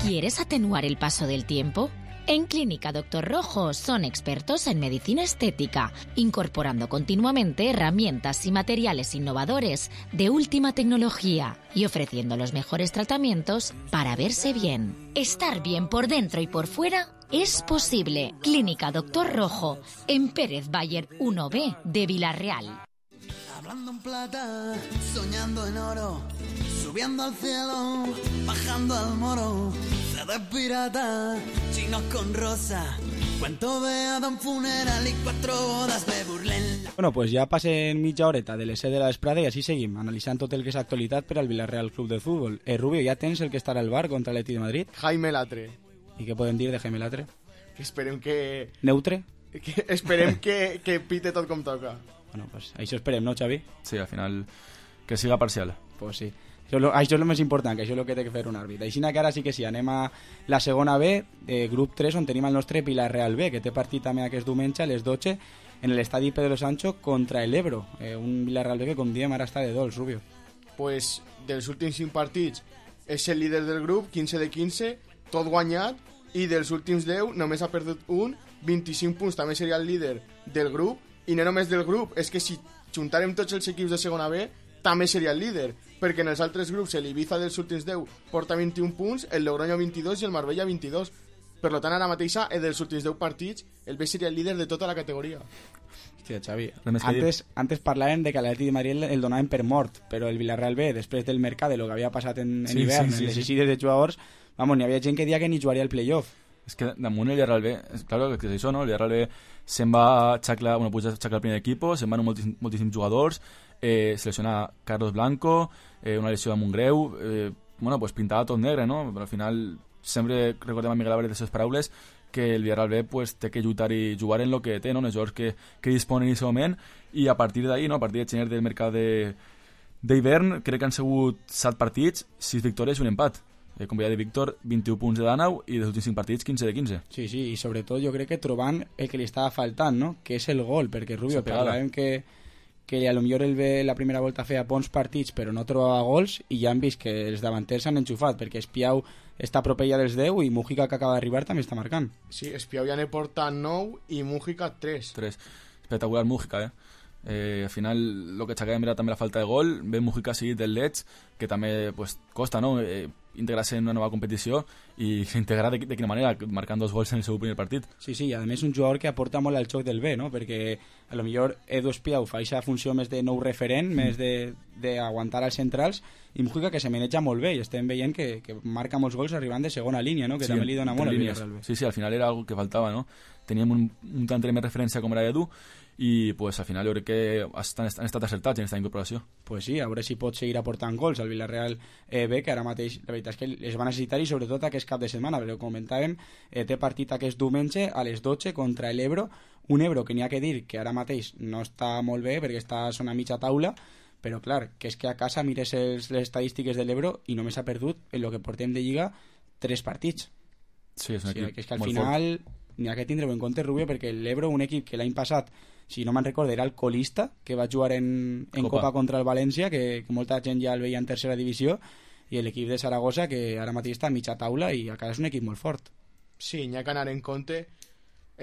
¿Quieres atenuar el paso del tiempo? En Clínica Dr. Rojo son expertos en medicina estética, incorporando continuamente herramientas y materiales innovadores de última tecnología y ofreciendo los mejores tratamientos para verse bien. Estar bien por dentro y por fuera es posible. Clínica Dr. Rojo, en Pérez Bayer 1B de Villarreal. Hablando en plata, soñando en oro, subiendo al cielo, bajando al moro. De pirata, chinos con rosa, cuento de Adam funeral y 4 bodas me burlen. Bueno, pues ja passen mitja horeta de les 7 de la vesprada i així seguim, analitzant tot el que és actualitat per al Villarreal Club de Futbol. Rubio, ja tens el que estarà al bar contra l'Atlètic de Madrid? Jaime Latre. I què podem dir de Jaime Latre? Que esperem que... Neutre? Que esperem que pite tot com toca. Bueno, pues això esperem, no, Xavi? Sí, al final que siga parcial. Pues sí. Això és el més important, que això és el que té que fer un àrbit. Així que ara sí que sí, anem a la segona B, grup 3, on tenim el nostre Villarreal B, que té partit també aquest diumenge a les 12 en l'estadi Pedro Sancho contra el Ebro. Un Villarreal B que, com diem, ara està de dolç, Rubio. Pues dels últims 5 partits és el líder del grup, 15 de 15, tot guanyat, i dels últims 10 només ha perdut un, 25 punts, també seria el líder del grup, i no només del grup, és que si juntàrem tots els equips de segona B, també seria el líder, perquè en els altres grups l'Ibiza dels últims 10 porta 21 punts, el Logroño 22 i el Marbella 22. Per tant, ara mateixa, dels últims 10 partits, el B seria el líder de tota la categoria. Hòstia, Xavi, antes parlàvem de que l'Atlètic de Madrid el donaven per mort, però el Villarreal B, després del mercat, de lo que havia passat en hivern, en les eixides de jugadors, n'hi havia gent que deia que ni jugaria el playoff. És que damunt el Villarreal B, claro que és això, no? El Villarreal B se'n va a xaclar, puja a xaclar el primer equipo, se'n van moltíssims jugadors, se lesiona Carlos Blanco, una lesió de Montgreu, pues pintava tot negre, no? Però al final sempre recordem a Miguel Álvarez de les seves paraules que el Villarreal B pues, té que lluitar i jugar en el que té, no? En els jugadors que disponen en aquest moment, i a partir d'ahir, no? A partir de gener del mercat d'hivern, crec que han sigut 7 partits, 6 victòries i un empat. Com veia de Víctor, 21 punts de Danau i dels últims 5 partits 15 de 15. Sí, i sobretot jo crec que trobant el que li estava faltant, no? Que és el gol, perquè Rubio, parlàvem que a lo millor el B la primera volta feia bons partits però no trobava gols, i ja han vist que els davanters s'han enxufat, perquè Espiau està propella dels 10 i Mújica, que acaba d'arribar, també està marcant. Sí, Espiau ja n'he portat 9 i Mújica 3. Espectacular Mújica, al final el que aixecàvem era també la falta de gol. Ve Mújica seguit del Leeds, que també pues, costa, no? Integrar-se en una nova competició i s'integrar de quina manera, marcant 2 gols en el seu primer partit. Sí, i a més un jugador que aporta molt al xoc del B, no? Perquè a lo millor Edu Espiau fa aquesta funció més de nou referent, més d'aguantar als centrals, i Mújica que se maneja molt bé, i estem veient que marca molts gols arribant de segona línia, no? Que també li dona molt al Villarreal B. Sí, al final era algo que faltava, no? Teníem un tant de més referència com era Edu, i pues, al final jo crec que han estat acertats en aquesta incorporació. Pues sí, a veure si pot seguir aportant gols al Villarreal B, que ara mateix la veritat és que es va necessitar, i sobretot aquest cap de setmana, però comentàvem, té partit aquest diumenge a les 12 contra l'Ebro, un Ebro que n'hi ha que dir que ara mateix no està molt bé perquè està a mitja taula, però clar, que és que a casa mires les estadístiques de l'Ebro i només ha perdut en el que portem de Lliga 3 partits. Sí, és un equip que és que al final n'hi ha que tindre-ho en compte, Rubio, perquè l'Ebro, un equip que l'any passat, si no me'n recordo, era el colista, que va jugar en Copa contra el València, que molta gent ja el veia en tercera divisió, i l'equip de Saragossa, que ara mateix està a mitja taula i a casa és un equip molt fort. Sí, n'hi ha que anar en compte.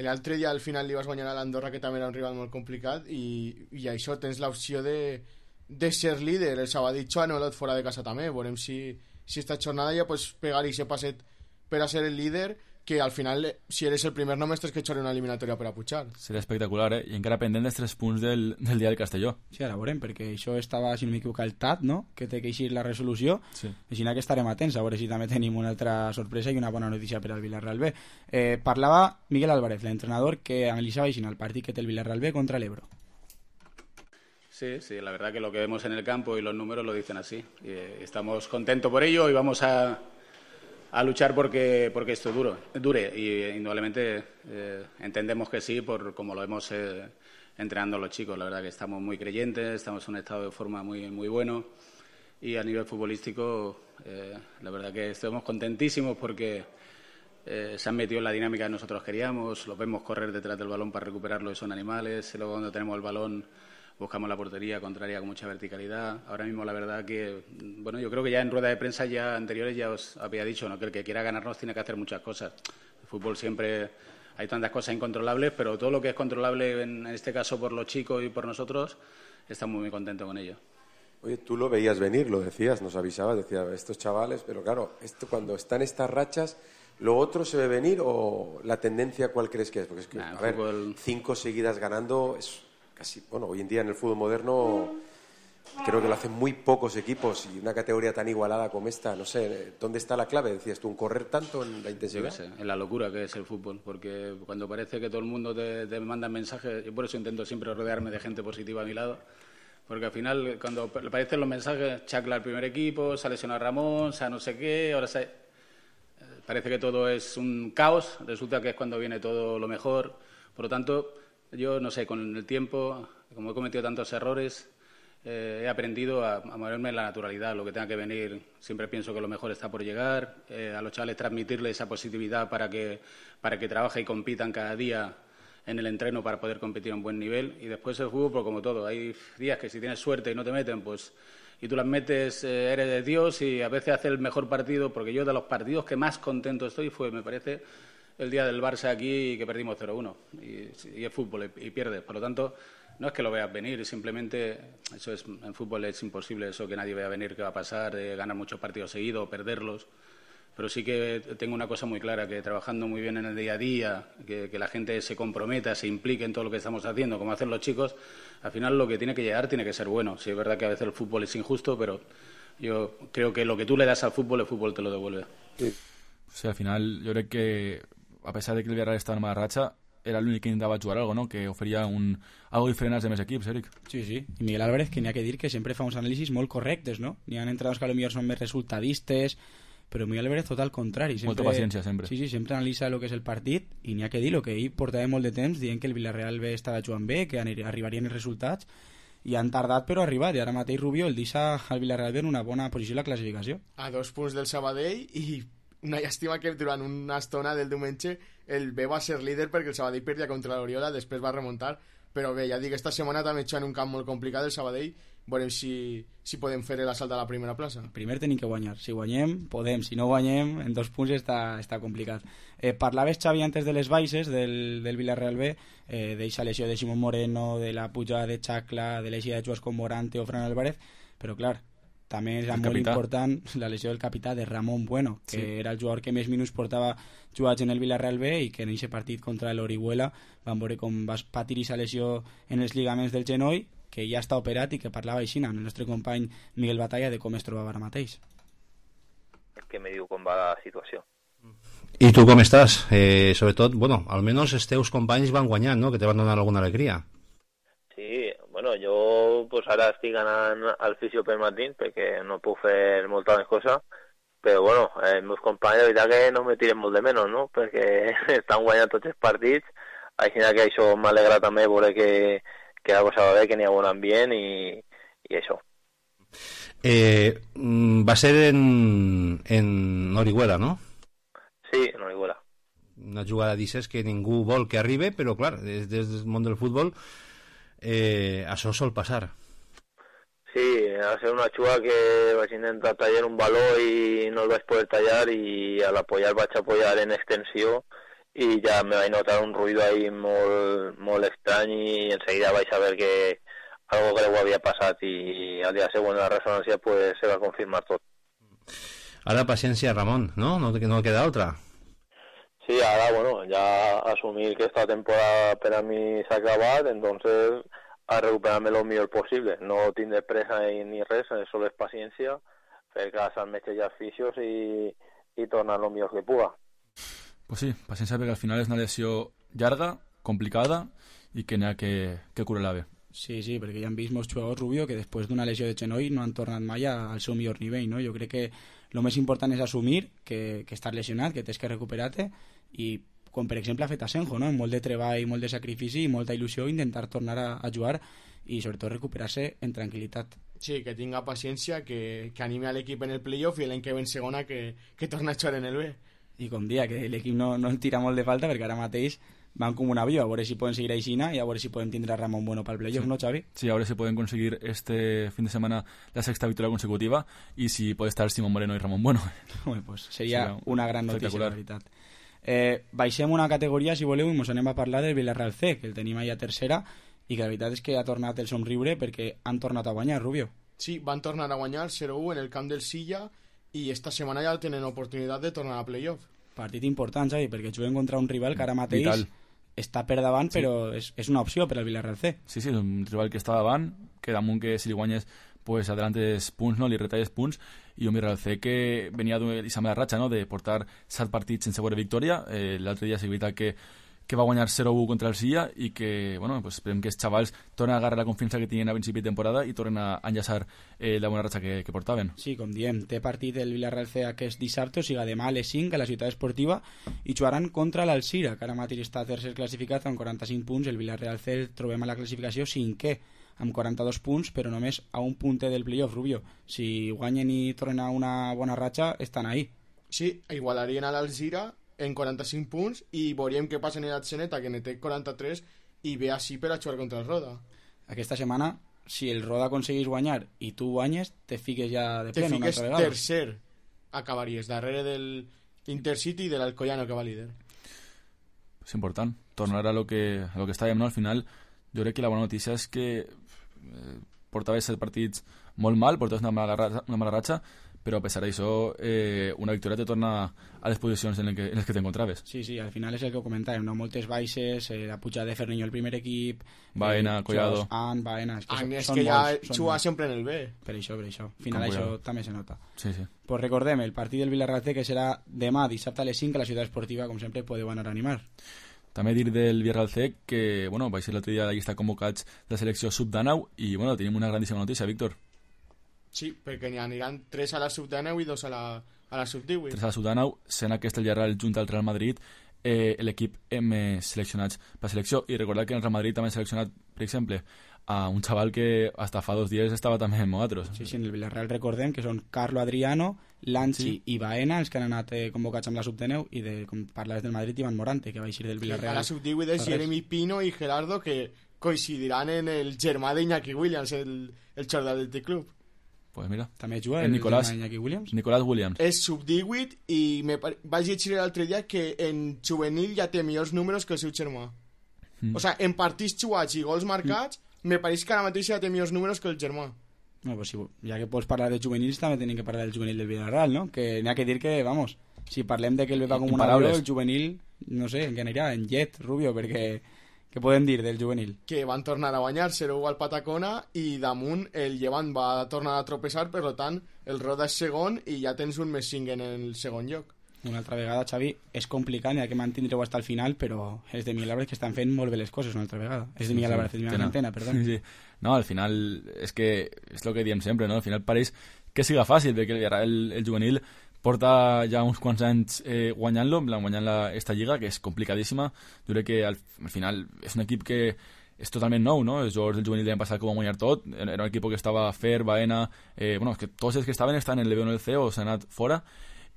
L'altre dia al final li vas guanyar a l'Andorra, que també era un rival molt complicat, i això tens l'opció de ser líder. El Sabadell ha anul·lat fora de casa també. Veurem si esta jornada ja pots pegar i se passet per a ser el líder, que al final, si eres el primer només tens que echar una eliminatòria per a pujar. Seria espectacular, I encara pendent dels 3 punts del dia del Castelló. Sí, ara veurem, perquè això estava, si no m'equivoco, el TAT, no?, que té que eixir la resolució, sí. Així que estarem atents, a veure si també tenim una altra sorpresa i una bona notícia per al Villarreal B. Parlava Miguel Álvarez, l'entrenador, que analitzava així el partit que té el Villarreal B contra l'Ebro. Sí, la verdad que lo que vemos en el campo y los números lo dicen así. Estamos contentos por ello y vamos a luchar porque esto dure y indudablemente entendemos que sí por como lo hemos entrenando los chicos. La verdad que estamos muy creyentes, estamos en un estado de forma muy, muy bueno y a nivel futbolístico la verdad que estamos contentísimos porque se han metido en la dinámica que nosotros queríamos, los vemos correr detrás del balón para recuperarlo y son animales, y luego cuando tenemos el balón buscamos la portería contraria con mucha verticalidad. Ahora mismo la verdad que, bueno, yo creo que ya en rueda de prensa ya anteriores ya os había dicho, ¿no?, que el que quiera ganarnos tiene que hacer muchas cosas. El fútbol siempre hay tantas cosas incontrolables, pero todo lo que es controlable en este caso por los chicos y por nosotros, estamos muy contentos con ello. Oye, tú lo veías venir, lo decías, nos avisabas, decías, estos chavales, pero claro, esto cuando están estas rachas, ¿lo otro se ve venir o la tendencia cuál crees que es? Porque es que, a ver, 5 seguidas ganando es casi, bueno, hoy en día en el fútbol moderno creo que lo hacen muy pocos equipos y una categoría tan igualada como esta, no sé, ¿dónde está la clave? Decías tú, ¿en correr tanto, en la intensidad? Yo qué sé, en la locura que es el fútbol, porque cuando parece que todo el mundo te manda mensajes, yo por eso intento siempre rodearme de gente positiva a mi lado, porque al final cuando aparecen los mensajes, Chacla al primer equipo, se ha lesionado Ramón, se ha no sé qué, ahora parece que todo es un caos, resulta que es cuando viene todo lo mejor, por lo tanto, yo no sé, con el tiempo, como he cometido tantos errores, he aprendido a moverme en la naturalidad, lo que tenga que venir, siempre pienso que lo mejor está por llegar, a los chavales transmitirles esa positividad para que trabajen y compitan cada día en el entreno para poder competir a un buen nivel, y después el fútbol, pues como todo, hay días que si tienes suerte y no te meten, pues y tú las metes, eres de Dios y a veces haces el mejor partido, porque yo de los partidos que más contento estoy fue, me parece, el día del Barça aquí que perdimos 0-1 y es fútbol y pierdes, por lo tanto no es que lo veas venir, simplemente eso es, en fútbol es imposible eso que nadie vea venir, que va a pasar, de ganar muchos partidos seguidos o perderlos, pero sí que tengo una cosa muy clara, que trabajando muy bien en el día a día, que la gente se comprometa, se implique en todo lo que estamos haciendo, como hacen los chicos, al final lo que tiene que llegar tiene que ser bueno. Sí, es verdad que a veces el fútbol es injusto, pero yo creo que lo que tú le das al fútbol, el fútbol te lo devuelve. Sí. O sea, al final yo creo que a pesar de que el Villarreal estava en mala ratxa, era l'únic que intentava jugar algo, no? Que oferia algo diferent als demés equips, Eric. Sí, sí. I Miguel Álvarez, que n'hi ha que dir que sempre fa uns anàlisis molt correctes, no? N'hi ha entrenadors que potser són més resultadistes, però Miguel Álvarez tot al contrari. Molta paciència, sempre. Sí, sempre analitza el que és el partit i n'hi ha que dir el que ell portava molt de temps dient que el Villarreal B estava jugant bé, que arribarien els resultats, i han tardat però ha arribat, i ara mateix Rubio el deixa al Villarreal B en una bona posició a la classificació. A 2 punts del Sabadell i una llàstima que durant una estona del diumenge el B va ser líder perquè el Sabadell perdia contra l'Oriola, després va remuntar, però bé, ja dic, esta setmana també està en un camp molt complicat el Sabadell, veurem si podem fer l'assalt a la primera plaça. Primer tenim que guanyar, si guanyem podem, si no guanyem en 2 punts està complicat. Parlaves, Xavi, antes de les baixes del Villarreal B, d'eixa lesió de Simón Moreno, de la pujada de Chacla, de l'eixida de jugadors com Morante o Fran Álvarez, però clar, també era molt important la lesió del capità de Ramón Bueno, que era el jugador que més minuts portava jugats en el Villarreal B i que en aquest partit contra l'Orihuela vam veure com va patir aquesta lesió en els lligaments del genoll, que ja està operat i que parlava així amb el nostre company Miguel Batalla de com es trobava ara mateix. Que me diu com va la situació. I tu com estàs? Sobretot, bueno, almenys els teus companys van guanyant, no? Que te van donar alguna alegria. Sí, bueno, jo pues, ara estic anant al fisio per matí perquè no puc fer molta més cosa, però bueno, els meus companys de veritat que no me tiren molt de menys, no? Perquè estan guanyant tots els partits, així que això m'alegra també veure que la cosa va bé, que n'hi ha bon ambient i això. Va ser en Orihuela, no? Sí, en Orihuela. Una jugada d'aixes que ningú vol que arribi, però clar, des del món del futbol això sol passar. Sí, va ser una jugada que vaig intentar tallar un valor i no el vaig poder tallar i al apoyar vaig apoyar en extensió i ja me vaig notar un ruido ahí molt estrany i enseguida vaig saber que algo greu havia passat i al dia següent de la resonància pues, se va confirmar tot. Ara paciència, Ramon, no? No queda altra. Sí, ara, bueno, ja assumir que esta temporada per a mi s'ha acabat, entonces a recuperar-me lo millor possible. No tindre pressa ni res, solo és paciència, fer cas al metge i als fisios i tornar lo millor que puga. Pues sí, paciència perquè al final és una lesió llarga, complicada i que n'hi ha que curar-la bé. Sí, perquè ja hem vist molts jugadors, Rubio, que després d'una lesió de genoll no han tornat mai al seu millor nivell, no? Jo crec que el més important és assumir que estàs lesionat, que tens que recuperar-te, i com per exemple ha fet Asenjo, no? Amb molt de treball, molt de sacrifici i molta il·lusió intentar tornar a jugar i sobretot recuperar-se en tranquil·litat. Sí, que tinga paciència, que anime a l'equip en el playoff i l'any que ve en segona que torna a jugar en el B. I com dia, que l'equip no el tira molt de falta perquè ara mateix van com un avió, a veure si poden seguir aixina i a veure si poden tindre a Ramon Bueno pel playoff, sí. ¿No, Xavi? Sí, a veure si poden conseguir este fin de semana la sexta victoria consecutiva i si pot estar Simón Moreno i Ramon Bueno. Bueno, pues seria una gran notícia, la veritat. Baixem una categoria, si voleu, i ens anem a parlar del Villarreal C, que el tenim allà a tercera, i que la veritat és que ha tornat el somriure perquè han tornat a guanyar, Rubio. Sí, van tornar a guanyar 0-1 en el camp del Silla i esta setmana ja tenen oportunitat de tornar a playoff. Partit important, Xavi, perquè juguen contra un rival que ara mateix vital. Està per davant, sí. Però és una opció per al Villarreal C. Sí, és un rival que està davant, que damunt que si li guanyes pues adelantes punts, no? Li retalles punts, i un Villarreal C que venia d'aquesta mala ratxa, no? De portar 7 partits sense veure victòria. L'altre dia s'ha veritat que va guanyar 0-1 contra el Silla i que, bueno, pues esperem que els xavals tornen a agarrar la confiança que tenien a principi de temporada i tornen a enllaçar la bona ratxa que portaven. Sí, com diem, té partit el Villarreal C aquest dissabte, o sigui, demà a les 5 a la ciutat esportiva, i jugaran contra l'Alcira, que ara mateix està tercer classificat amb 45 punts. El Villarreal C el trobem a la classificació cinquè, amb 42 punts, però només a un punter del playoff, Rubio. Si guanyen i tornen a una bona ratxa, estan ahí. Sí, igualarien a l'Alcira en 45 punts i veuríem què passa en el Atzeneta, que ne té 43 i ve així per a jugar contra el Roda. Aquesta setmana, si el Roda aconseguís guanyar i tu guanyes, te fiques ja de pleno una altra vegada. Te fiques tercer, acabaries darrere del Intercity i de l'Alcoyano, que va líder. És important tornar a lo que estàvem, no? Al final jo crec que la bona notícia és que portaves 7 partits molt mal, portaves una mala ratxa, però a pesar d'això una victòria te torna a les posicions en les que t'encontraves. Sí, al final és el que comentàvem, no? Moltes baixes, la pujada de Ferniño al primer equip, Baena, Collado, Baena, és que ja juga sempre en el B. Per això, al final això també se nota. Sí. Pues recordem, el partit del Villarreal C, que serà demà dissabte a les 5 a la ciutat esportiva, com sempre podeu anar a animar. També dir del Villarreal C que, bueno, va ser l'altre dia la llista convocats de la selecció sub-19 i, bueno, tenim una grandíssima notícia, Víctor. Sí, perquè n'hi aniran 3 a la sub-19 i 2 a la sub-18. 3 a la sub-19, sent aquest el Villarreal junt al Real Madrid, l'equip hem seleccionats per selecció. I recordar que en el Real Madrid també hem seleccionat, per exemple, a un xaval que hasta fa 2 dies estava també amb nosaltres. Sí, en el Villarreal recordem que són Carlo Adriano, Lanchi i Baena, els que han anat convocats amb la sub-19, i com parlaves del Madrid, Ivan Morante, que va eixir del Villarreal. A la sub-18 és Jeremy Pino i Gerardo, que coincidiran en el germà d'Iñaki Williams, el xordà del T-Club. Pues mira, també juga el Nicolás Williams. Nicolás Williams. És sub-18 i vaig llegir l'altre dia que en juvenil ja té millors números que el seu germà. O sigui, en partits jugats i gols marcats, me pareix que ara mateix ja té millors números que el germà. No, pues sí, ja que pots parlar de juvenils, també tenim que parlar del juvenil del Villarreal, no? Que n'hi ha que dir que, vamos, si parlem de que el va com un avió, el juvenil, no sé, en què anirà? En jet, Rubio, perquè... Què podem dir del juvenil? Que van tornar a guanyar 0-1 al Patacona i damunt el Llevant va tornar a tropeçar, per tant el Roda és segon i ja tens un més 5 en el segon lloc. Una altra vegada, Xavi, és complicat, n'hi ha que mantindreu fins al final, però els de Miguel Álvarez que estan fent molt bé les coses una altra vegada. És de Miguel Álvarez, de Miguel Antena, perdó. Sí. No, al final és que és el que diem sempre, no? Al final pareix que siga fàcil, perquè el juvenil porta ja uns quants anys guanyant-lo, guanyant esta lliga, que és complicadíssima. Jo crec que al final és un equip que és totalment nou, no? Els jugadors del juvenil l'any passat que ho van guanyar tot, era un equip que estava Fer, Baena, bueno, que tots els que estaven estan en el B o en el C o s'han anat fora,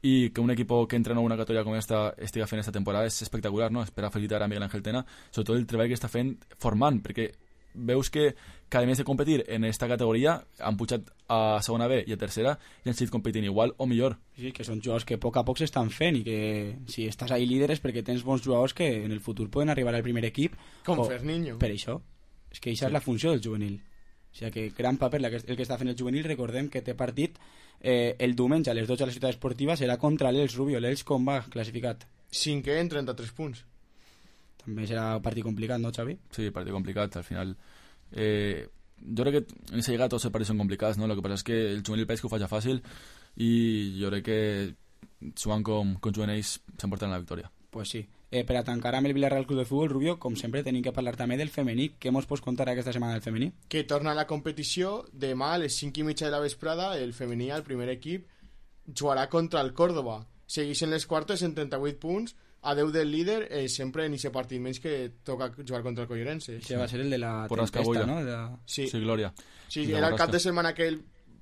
i que un equip que entrena una categoria com esta estiga fent esta temporada és espectacular, no? Espera felicitar a Miguel Ángel Tena, sobretot el treball que està fent formant, perquè veus que a més de competir en esta categoria han pujat a segona B i a tercera i han seguit competint igual o millor. Sí, que són jugadors que a poc s'estan fent i que si estàs ahí líder és perquè tens bons jugadors que en el futur poden arribar al primer equip. Com Ferniño. Per això. És que això és la funció del juvenil. O sigui que gran paper el que està fent el juvenil. Recordem que té partit el diumenge a les 12 a la ciutat esportiva, serà contra l'Elx, Rubio. L'Elx com va classificat? 5è en 33 punts. També serà un partit complicat, no, Xavi? Sí, partit complicat, al final. Jo crec que en aquesta lligada tots els partits són complicats, no? El que passa és que el juvenil pareix que ho faci fàcil i jo crec que jugant com juguen ells s'emporten la victòria. Pues sí. Per a tancar amb el Villarreal Club de Futbol, Rubio, com sempre tenim que parlar també del femení. Què mos pots contar aquesta setmana del femení? Que torna a la competició. Demà a les 5:30 de la vesprada el femení, el primer equip, jugarà contra el Córdoba. Segueixen les quartes en 38 punts, a 10 del líder, sempre en aquest partit menys que toca jugar contra el Collerense. Que va ser el de la tempesta, no? Sí, Glòria. Sí, era el cap de setmana que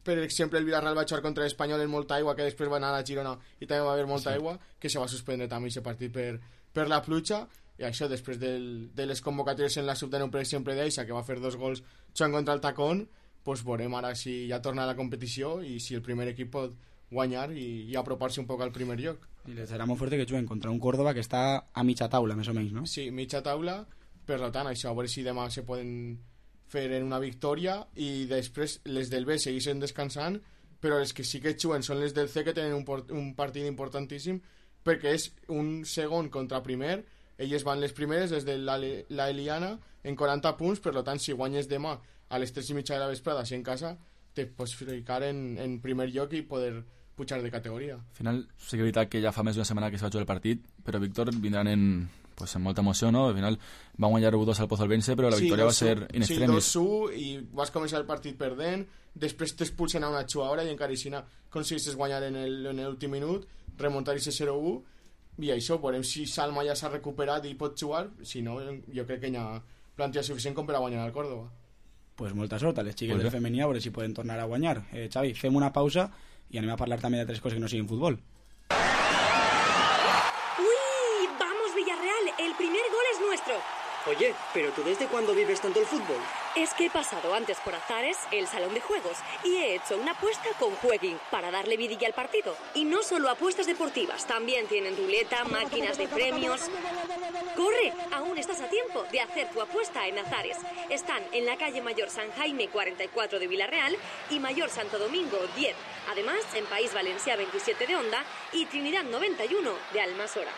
per exemple, el Villarreal va jugar contra l'Espanyol en molta aigua, que després va anar a la Girona i també va haver molta aigua, que se va suspendre també aquest partit per la pluja, i això després de les convocatòries en la sub-19, per exemple, d'Eixa, que va fer 2 gols jugant contra el Tacón, pues veurem ara si ja torna a la competició i si el primer equip pot guanyar i apropar-se un poc al primer lloc. I les serà molt fort que juguen contra un Córdoba que està a mitja taula, més o menys, no? Sí, mitja taula, per tant, això, a veure si demà se poden fer en una victòria i després les del B segueixen descansant, però les que sí que juguen són les del C, que tenen un partit importantíssim perquè és un segon contra primer. Elles van les primeres des de la Eliana en 40 punts, per tant si guanyes demà a les 3:30 de la vesprada així en casa te pots ficar en primer lloc i poder pujar de categoria. Al final sí que és veritat que ja fa més d'una setmana que s'ha jugat el partit, però Víctor vindran en molta emoció, no? Al final va guanyar 1-2 al Pozolvense, però la victòria va ser in extremis. Sí, 2-1 i vas començar el partit perdent, després t'expulsen a una xuaora i encara així aconseguissis guanyar en l'últim minut, remuntar i ser 0-1, i això, veurem si Salma ja s'ha recuperat i pot jugar, si no, jo crec que hi ha plantilla suficient com per a guanyar al Córdoba. Pues molta sort a les xiques del femení, a veure si poden tornar a guanyar. Xavi, fem una pausa i anem a parlar també d'altres coses que no siguin futbol. Oye, ¿pero tú desde cuándo vives tanto el fútbol? Es que he pasado antes por Azares, el salón de juegos, y he hecho una apuesta con Jueguin para darle vidilla al partido. Y no solo apuestas deportivas, también tienen ruleta, máquinas de premios. ¡Corre! Aún estás a tiempo de hacer tu apuesta en Azares. Están en la calle Mayor San Jaime 44 de Villarreal y Mayor Santo Domingo 10. Además, en País Valencià 27 de Onda y Trinidad 91 de Almasora.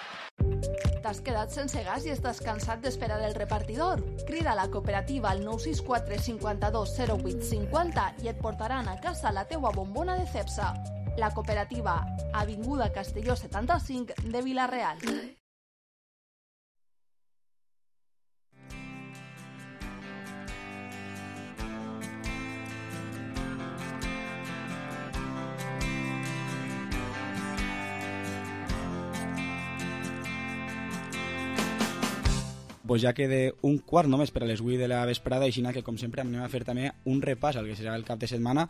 T'has quedat sense gas i estàs cansat d'esperar el repartidor? Crida a la cooperativa al 964 52 08 50 i et portaran a casa la teua bombona de Cepsa. La cooperativa, Avinguda Castelló 75 de Vila-real. Pues ja queda un quart només per a les 8 de la vesprada, així que com sempre anem a fer també un repàs al que serà el cap de setmana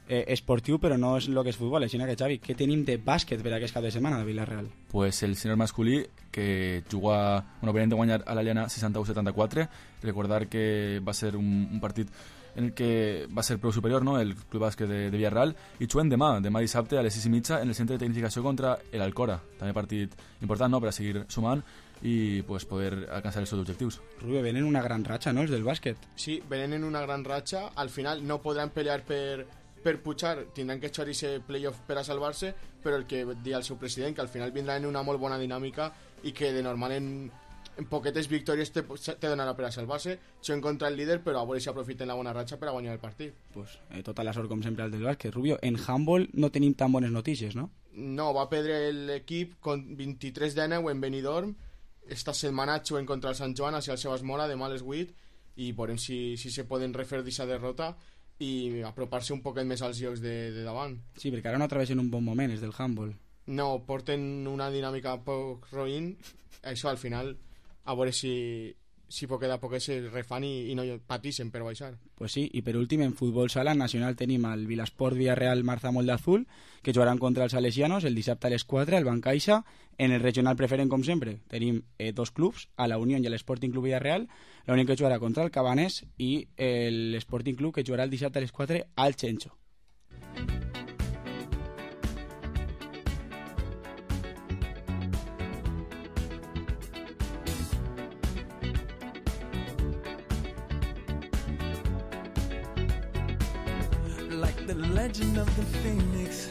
esportiu, però no és el que és futbol. Així que, Xavi, què tenim de bàsquet per a aquest cap de setmana de Villarreal? Pues el sènior masculí, que juga, venent de guanyar a l'Aliana 61-74, recordar que va ser un partit en el que va ser prou superior, no?, el Club Bàsquet de Villarreal, i juguen demà dissabte a les 6:30 en el centre de tecnificació contra l'Alcora. També partit important, no?, per a seguir sumant i pues, poder alcançar els seus objectius. Rubio, venen una gran ratxa, no?, els del bàsquet. Sí, venen en una gran ratxa. Al final no podran pelear per pujar, tindran que echar ese playoff per a salvar-se, però el que dia el seu president, que al final vindrà en una molt bona dinàmica i que de normal en poquetes victòries te donarà per a salvar-se. Són contra el líder, però a veure si aprofiten la bona ratxa per a guanyar el partit. Pues, tota la sort, com sempre, al del bàsquet. Rubio, en handball no tenim tan bones notícies, no? No, va perdre l'equip con 23-9 en Benidorm. Esta setmana juguen contra el Sant Joan hacia el Sebas Mora demà a les 8 i veurem si se poden refer d'aquesta derrota i apropar-se un poquet més als llocs de davant. Sí, perquè ara no travessen un bon moment, és del handball. No, porten una dinàmica poc roïn. Això al final a veure si poquet a poquet se refan i no patixen per baixar. Pues sí, i per últim en futbol sala nacional tenim el Vilasport Villarreal Marzamol de Azul, que jugaran contra els salesianos el dissabte a les 4 al Bancaixa. En el regional preferent, com sempre, tenim dos clubs, a la Unión i a l'Sporting Club Villarreal. La Unión que jugarà contra el Cabanés i l'Sporting Club que jugarà el dissabte a les 4 al Chencho. The legend of the phoenix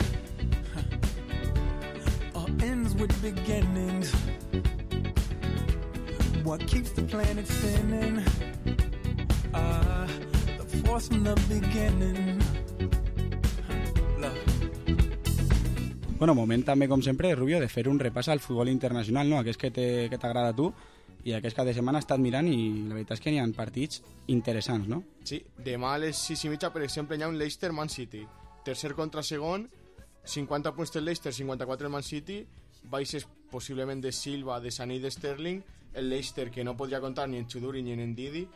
all ends with beginnings. what keeps the planet spinning. The force from the beginning. Bueno, moment també, com sempre, Rubio, de fer un repàs al futbol internacional, no? Aquest que t'agrada a tu i aquest cap de setmana he estat mirant i la veritat és que n'hi ha partits interessants, no? Sí, demà a les 6:30, per exemple, hi ha un Leicester-Man City. Tercer contra segon, 50 punts del Leicester, 54 el Man City, baixes possiblement de Silva, de Sané i de Sterling, el Leicester que no podria comptar ni en Chuduri ni en Ndidi,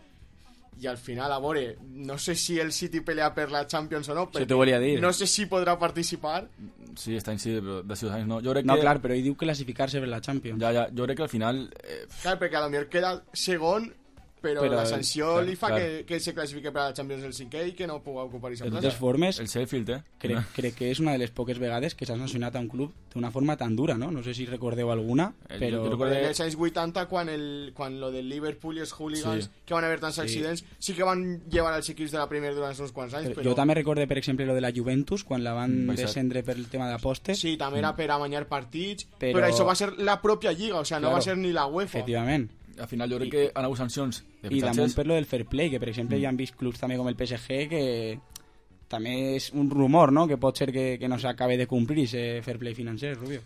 i al final, a veure, no sé si el City pelea per la Champions o no, Això t'ho volia dir. No sé si podrà participar. Sí, està en sí, però de 6 anys no. Jo crec No, que... clar, però ell diu classificar-se per la Champions. Ja, jo crec que al final... Clar, perquè a lo millor queda segon, però la sanció clar, li fa clar. que se classifique per a la Champions el cinquè i que no pugui ocupar aquesta De plaça. totes formes, el Sheffield, crec que és una de les poques vegades que s'ha sancionat a un club d'una forma tan dura, no? No sé si recordeu alguna, però... Jo recordo els anys 80, quan lo del Liverpool i els hooligans, que van haver tants accidents, sí que van llevar els equips de la Premier durant uns quants anys, però... Jo també recorde, per exemple, lo de la Juventus, quan la van Baixat. descendre per el tema d'apostes. Sí, també era per amanyar partits, però això va ser la pròpia Lliga, o sigui, no va ser ni la UEFA. Efectivament. Al final jo crec que han hagut sancions de I fitxatges. damunt per lo del fair play, que per exemple hi han vist clubs també com el PSG que també és un rumor, no?, que pot ser que no s'acabe de complir ese fair play financer, Rubio.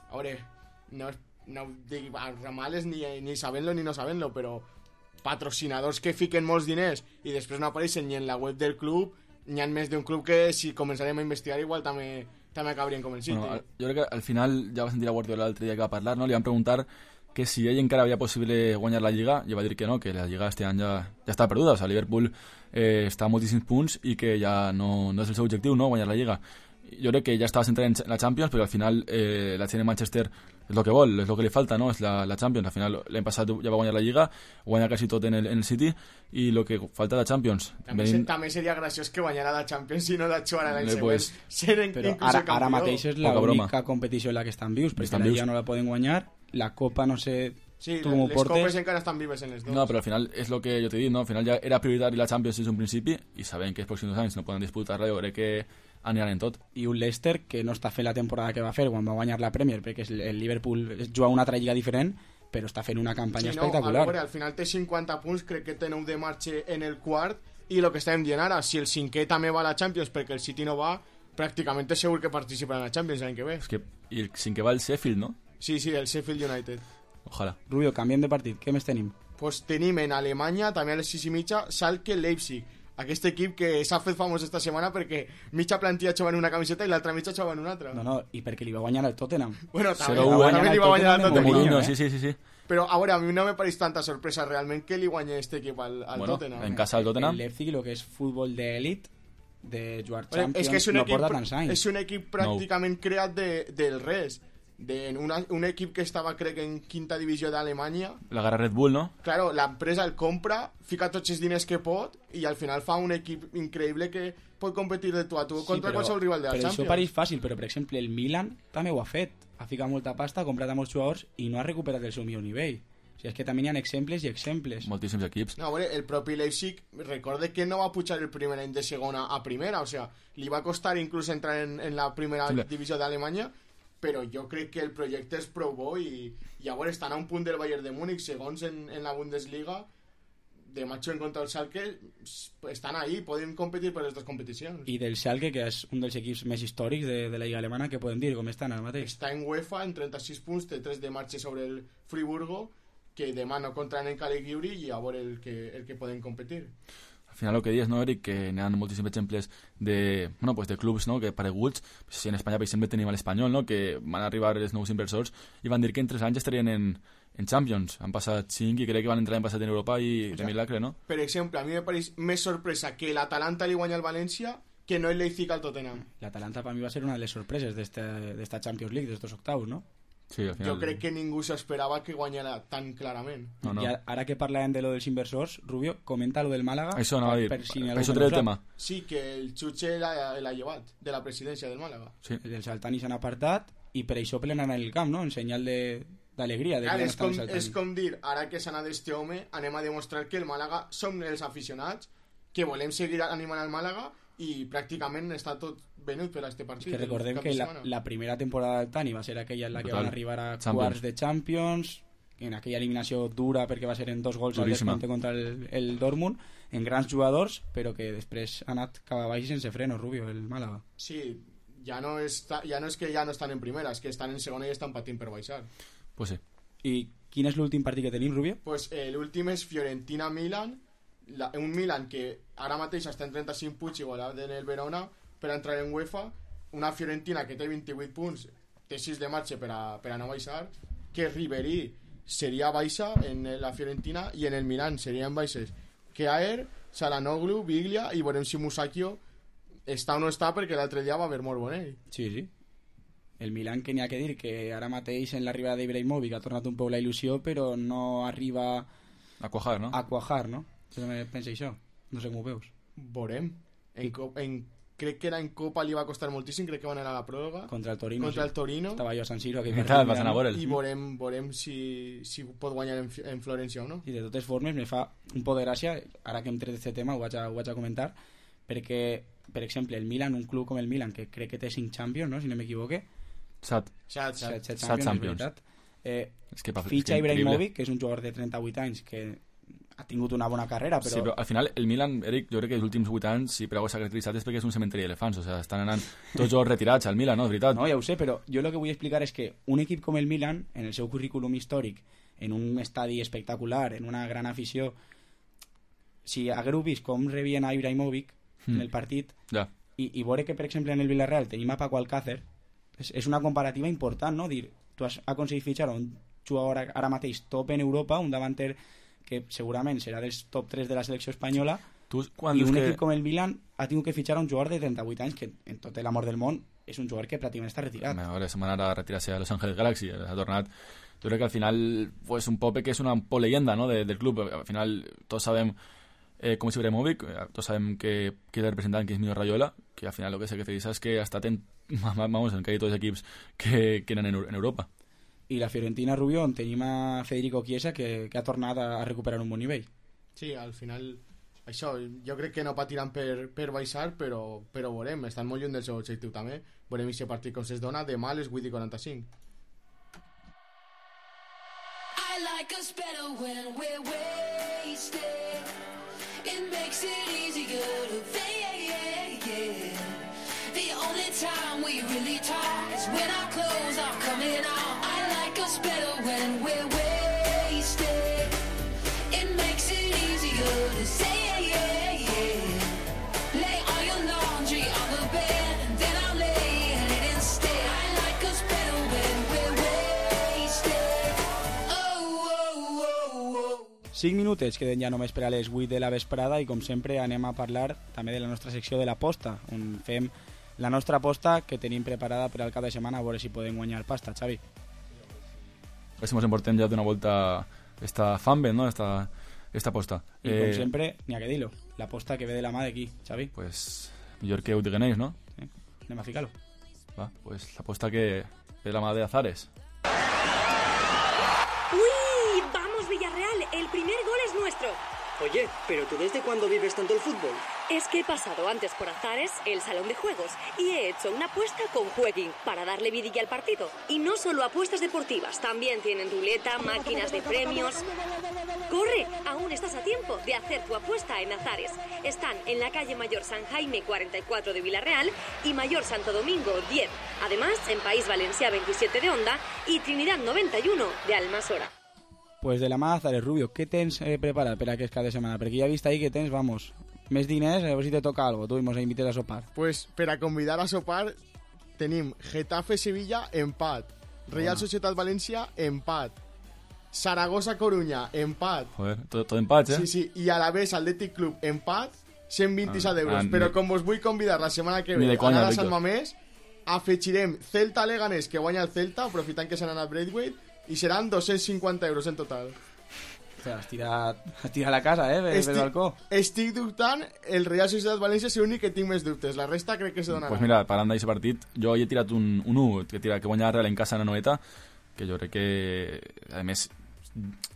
A veure, no dic a ramales ni sabent-lo ni no sabent-lo, però patrocinadors que fiquen molts diners i després no apareixen ni en la web del club, n'hi ha més d'un club que si començarem a investigar igual també acabarien com el City. Bueno, jo crec que al final ja va sentir a Guardiola l'altre dia que va parlar, no? Li van preguntar que si ell encara havia possible guanyar la Lliga, i va dir que no, que la Lliga este any ja està perduda, o sigui, Liverpool està a moltíssims punts i que ja no és el seu objectiu, no?, guanyar la Lliga. Jo crec que ja estava centrat en la Champions, però al final la gent de Manchester és el que vol, és el que li falta, no?, és la Champions. Al final l'any passat ja va guanyar la Lliga, guanya quasi tot en el City, i el que falta la Champions. També seria graciós que guanyara la Champions i no la jugara l'any següent. Però ara mateix és l'única competició en la que estan vius, perquè la Lliga no la poden guanyar, la Copa no sé... Sí, tu com ho les portes. copes encara estan vives en les dos. No, però al final és el que jo t'he dit, no? Al final ja era prioritari la Champions des d'un principi i sabem que els pròxims 2 anys no poden disputar-la, jo crec que aniran en tot. I un Leicester que no està fent la temporada que va fer quan va guanyar la Premier, perquè el Liverpool juga una altra lliga diferent, però està fent una campanya espectacular. Al final té 50 punts, crec que té 9 de marxa en el quart, i el que estàvem dient ara, si el cinquè també va a la Champions perquè el City no va, pràcticament és segur que participarà en la Champions l'any que ve. I el cinquè va el Sheffield, no? Sí, el Sheffield United. Ojalà. Rubio, canviem de partit, què més tenim? Pues tenim en Alemanya, també a les 6:30, Schalke Leipzig. Aquest equip que s'ha fet famós esta setmana perquè mitja plantilla jugava en una camiseta i l'altra mitja jugava en una altra. No, i perquè li va guanyar el Tottenham. Bueno, també li va guanyar el Tottenham. Sí. Però, a veure, a mi no me pareix tanta sorpresa realment que li guanyi este equip al Tottenham. En casa del Tottenham. El Leipzig, el que és futbol d'elit, de jugar Champions, és que és no porta tants anys. És un equip pràcticament creat del res. Un equip que estava, crec, en quinta divisió d'Alemanya. La gara Red Bull, no? Claro, l'empresa el compra, fica tots els diners que pot i al final fa un equip increïble que pot competir de tu a tu contra qualsevol rival de la Champions. Però això pareix fàcil, però per exemple el Milan també ho ha fet. Ha ficat molta pasta, ha comprat a molts jugadors i no ha recuperat el seu millor nivell. O sigui, és que també hi ha exemples i exemples. Moltíssims equips. No, a veure, el propi Leipzig, recorde que no va pujar el primer any de segona a primera, o sigui, li va costar inclús entrar en la primera divisió d'Alemanya, però jo crec que el projecte és prou bo i a veure, estan a un punt del Bayern de Múnich, segons en la Bundesliga, demà juguen contra el Schalke, estan ahí, poden competir per les dues competicions. I del Schalke, que és un dels equips més històrics de la Lliga Alemana, què podem dir? Com estan ara mateix? Està en UEFA, en 36 punts, té 3 de marxa sobre el Friburgo, que demà no contraen en Caligiuri i a veure el que poden competir. Al final el que dius, no, Eric, que n'hi ha moltíssims exemples de clubs, no, que pareguts. Si en Espanya, per exemple, tenim l'Espanyol, no, que van arribar els nous inversors i van dir que en 3 anys estarien en Champions. Han passat 5 i crec que van entrar l'any passat en Europa i de milagre, no? Per exemple, a mi me pareix més sorpresa que l'Atalanta li guanya al València que no el Leipzig al Tottenham. L'Atalanta per mi va ser una de les sorpreses d'esta Champions League, d'estos octaus, no? Sí, al final... Jo crec que ningú s'esperava que guanyara tan clarament. No. I ara que parlàvem de lo dels inversors, Rubio, comenta lo del Málaga. Això anava a dir, això treu el tema. Sí, que el Chuche l'ha llevat de la presidència del Málaga. Sí. Els Altani s'han apartat i per això plenen en el camp, no? En senyal d'alegria. És com dir, ara que s'ha anat este home, anem a demostrar que el Málaga som els aficionats, que volem seguir animant al Málaga i pràcticament està tot venut per a este partit. Que recordem que la primera temporada del Tani va ser aquella en la que van arribar a quarts de Champions, en aquella eliminació dura perquè va ser en 2 gols al Duríssima. descompte contra el Dortmund, en grans jugadors, però que després ha anat cap avall sense freno, Rubio, el Màlaga. Sí, ja no és que ja no estan en primera, és que estan en segona i estan patint per baixar. Pues sí. I quin és l'últim partit que tenim, Rubio? Pues l'últim és Fiorentina-Milan, un Milan que ara mateix està en 35 punts igualat en el Verona per entrar en UEFA, una Fiorentina que té 28 punts, té 6 de marxa per a no baixar, que Ribéry seria baixa en la Fiorentina i en el Milan serien baixes Kjaer, Çalhanoğlu, Biglia i veurem si Musacchio està o no està, perquè l'altre dia va haver molt bon ell. Sí. El Milan, que n'hi ha que dir que ara mateix en l'arribada d'Ibrahimovic ha tornat un poc la il·lusió, però no arriba a quajar, no? A quajar, no? Què pensa això? No sé com ho veus. Veurem. Crec que era en Copa li va costar moltíssim, crec que van anar a la pròrroga contra el Torino, el Torino. Estava jo a San Siro i veurem si pot guanyar en Florència o no. I de totes formes me fa un poc de gràcia, ara que hem tret aquest tema ho vaig a comentar, perquè per exemple el Milan, un club com el Milan que crec que té 5 Champions, no? Si no m'equivoque, 7 Champions. Fitxa Ibrahimovic, que és un jugador de 38 anys que ha tingut una bona carrera, però... Sí, però al final el Milan, Eric, jo crec que els últims 8 anys, si per alguna s'ha caracteritzat és perquè és un cementeri d'elefants, o sigui, estan anant tots jocs retirats al Milan, no? És veritat. No, ja ho sé, però jo el que vull explicar és que un equip com el Milan, en el seu currículum històric, en un estadi espectacular, en una gran afició, si hagueu vist com rebien a Ibrahimovic en el partit, i veure que, per exemple, en el Villarreal tenim a Paco Alcácer, és una comparativa important, no? Dir, tu has aconseguit fitxar un jugador ara mateix top en Europa, un davanter que segurament serà dels top 3 de la selecció espanyola, i un equip com el Milan ha tingut que fitxar un jugador de 38 anys que, en tot l'amor del món, és un jugador que pràcticament està retirat. Ara se'n va anar a retirar-se a Los Angeles Galaxy, ha tornat. Jo crec que al final pues, un Pope que és una leyenda, ¿no? del club. Al final tots sabem com és Ibrahimovic, tots sabem que és el representant, que és Mino Raiola, que al final lo que se caracteriza és que ha estat en quasi tots els equips que eren en Europa. I la Fiorentina, Rubio, on tenim a Federico Chiesa que ha tornat a recuperar un bon nivell. Sí, al final això, jo crec que no patiran per baixar, però veurem, estan molt lluny del seu objectiu també. Veurem si el partit com es dona, demà a les 8:45. I like us better when we're wasted. It makes it easier to fake. The only time we really talk is when our clothes are coming off. I like us better when we're wasted. It makes it easier to say, lay all your laundry on the bed, and then I'll lay in it instead. I like us better when we're wasted. Oh. 5 minutets queden ja només per a les 8 de la vesprada i com sempre anem a parlar també de la nostra secció de l'aposta, on fem la nostra aposta que tenim preparada per al cap de setmana, a veure si podem guanyar pasta, Xavi. A ver si nos emportem ja d'una volta esta fanbet, ¿no? Esta aposta. I com sempre, n'hi ha que dir-lo, l'aposta que ve de la mà d'aquí, Xavi. Pues millor que ho diguenéis, ¿no? Sí. Anem a ficar-lo. Va, pues l'aposta que ve de la mà de Azares. ¡Uy! ¡Vamos, Villarreal! El primer gol es nuestro. Oye, ¿pero tú desde cuándo vives tanto el fútbol? Es que he pasado antes por Azares, el salón de juegos, y he hecho una apuesta con Jueguin para darle vidilla al partido. Y no solo apuestas deportivas, también tienen ruleta, máquinas de premios. ¡Corre! Aún estás a tiempo de hacer tu apuesta en Azares. Están en la calle Mayor San Jaime 44 de Villarreal y Mayor Santo Domingo 10. Además, en País Valencià 27 de Onda y Trinidad 91 de Almasora. Pues de la mà Azares, Rubio, què tens preparat per aquest cap de setmana? Perquè ja he vist ahí que tens, vamos, més diners, a veure si te toca algo, tu i mos invites a sopar. Pues per a convidar a sopar tenim Getafe-Sevilla, empat. Real Societat València, empat. Saragossa-Coruña, empat. Joder, tot empats, eh? Sí, i a la vez Athletic Club, empat, 127 euros. Però com vos vull convidar la setmana que ve a anar a Sant Mamés, afegirem Celta-Leganés, que guanya el Celta, aprofitant que s'han anat Braithwaite, i seran 250 euros en total. Has tirat la casa, pel balcó. Estic dubtant, el Real Societat València és l'únic que tinc més dubtes. La resta crec que se donarà. Pues mira, parlant d'aquest partit, jo he tirat un 1, que guanya el Real en casa a la Noeta, que jo crec que, a més,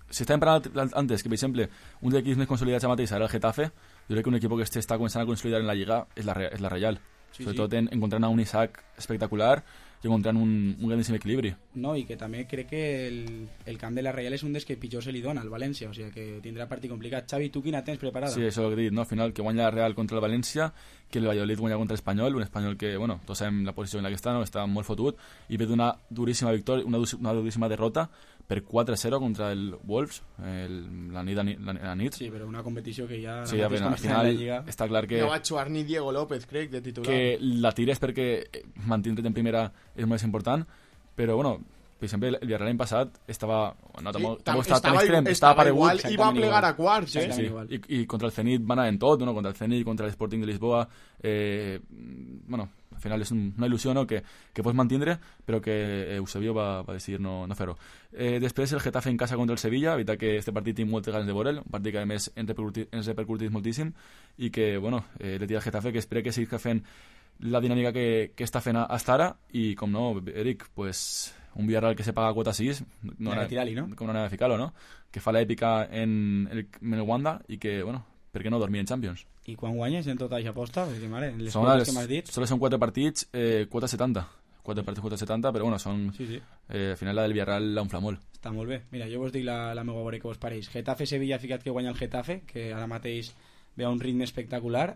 si estàvem parlant antes, que per exemple, un dels equips més consolidats ara mateix serà el Getafe, jo crec que un equip que està començant a consolidar en la Lliga és la Real. Sí, sobretot encontrant un Isaac espectacular i encontrant un grandíssim equilibri. No, i que també crec que el camp de la Reial és un dels que pitjor se li dona al València, o sigui que tindrà partit complicat. Xavi, tu quina tens preparada? Sí, això ho he dit, no? Al final que guanya la Real contra el València, que el Valladolid guanya contra l'Espanyol, un Espanyol que, bueno, tots sabem la posició en la que està, no? Està molt fotut, i ve d'una duríssima victòria, una duríssima derrota per 4-0 contra el Wolves la nit. Sí, però una competició que ja... Sí, al final està clar que... No va jugar ni Diego López, crec, de titular. Que la tires perquè mantenir-te en primera és molt important, però, bueno, per exemple, el Villarreal l'any passat estava... No, tampoc estava tan extrem, estava paregut. I va plegar a quarts, Sí. I contra el Zenit va anar en tot, no? Contra el Zenit, contra l'Sporting de Lisboa... Bueno, al final és una il·lusió, no?, que pots mantenir, però que Eusebio va decidir no fer-ho. Després el Getafe en casa contra el Sevilla, veritat que este partit tinc moltes ganes de veure'l, un partit que a més ens repercutís moltíssim, i que, bueno, le tira al Getafe, que espero que sigui fent la dinàmica que està fent hasta ara, i com no, Eric, pues un Villarreal que se paga quota 6, no com no anava a ficar-lo, no? Que fa l'èpica en el Wanda, i que, bueno, per què no dormir en Champions? I quan guanyes en tota aquesta aposta? Perquè, mare, les quotes que m'has dit... Són 4 partits, quota 70. 4 partits, quota 70, però bueno, són... Sí. Al final la del Villarreal la unfla molt. Està molt bé. Mira, jo vos dic la meva veure que vos pareix. Getafe-Sevilla, ficat que guanya el Getafe, que ara mateix ve a un ritme espectacular.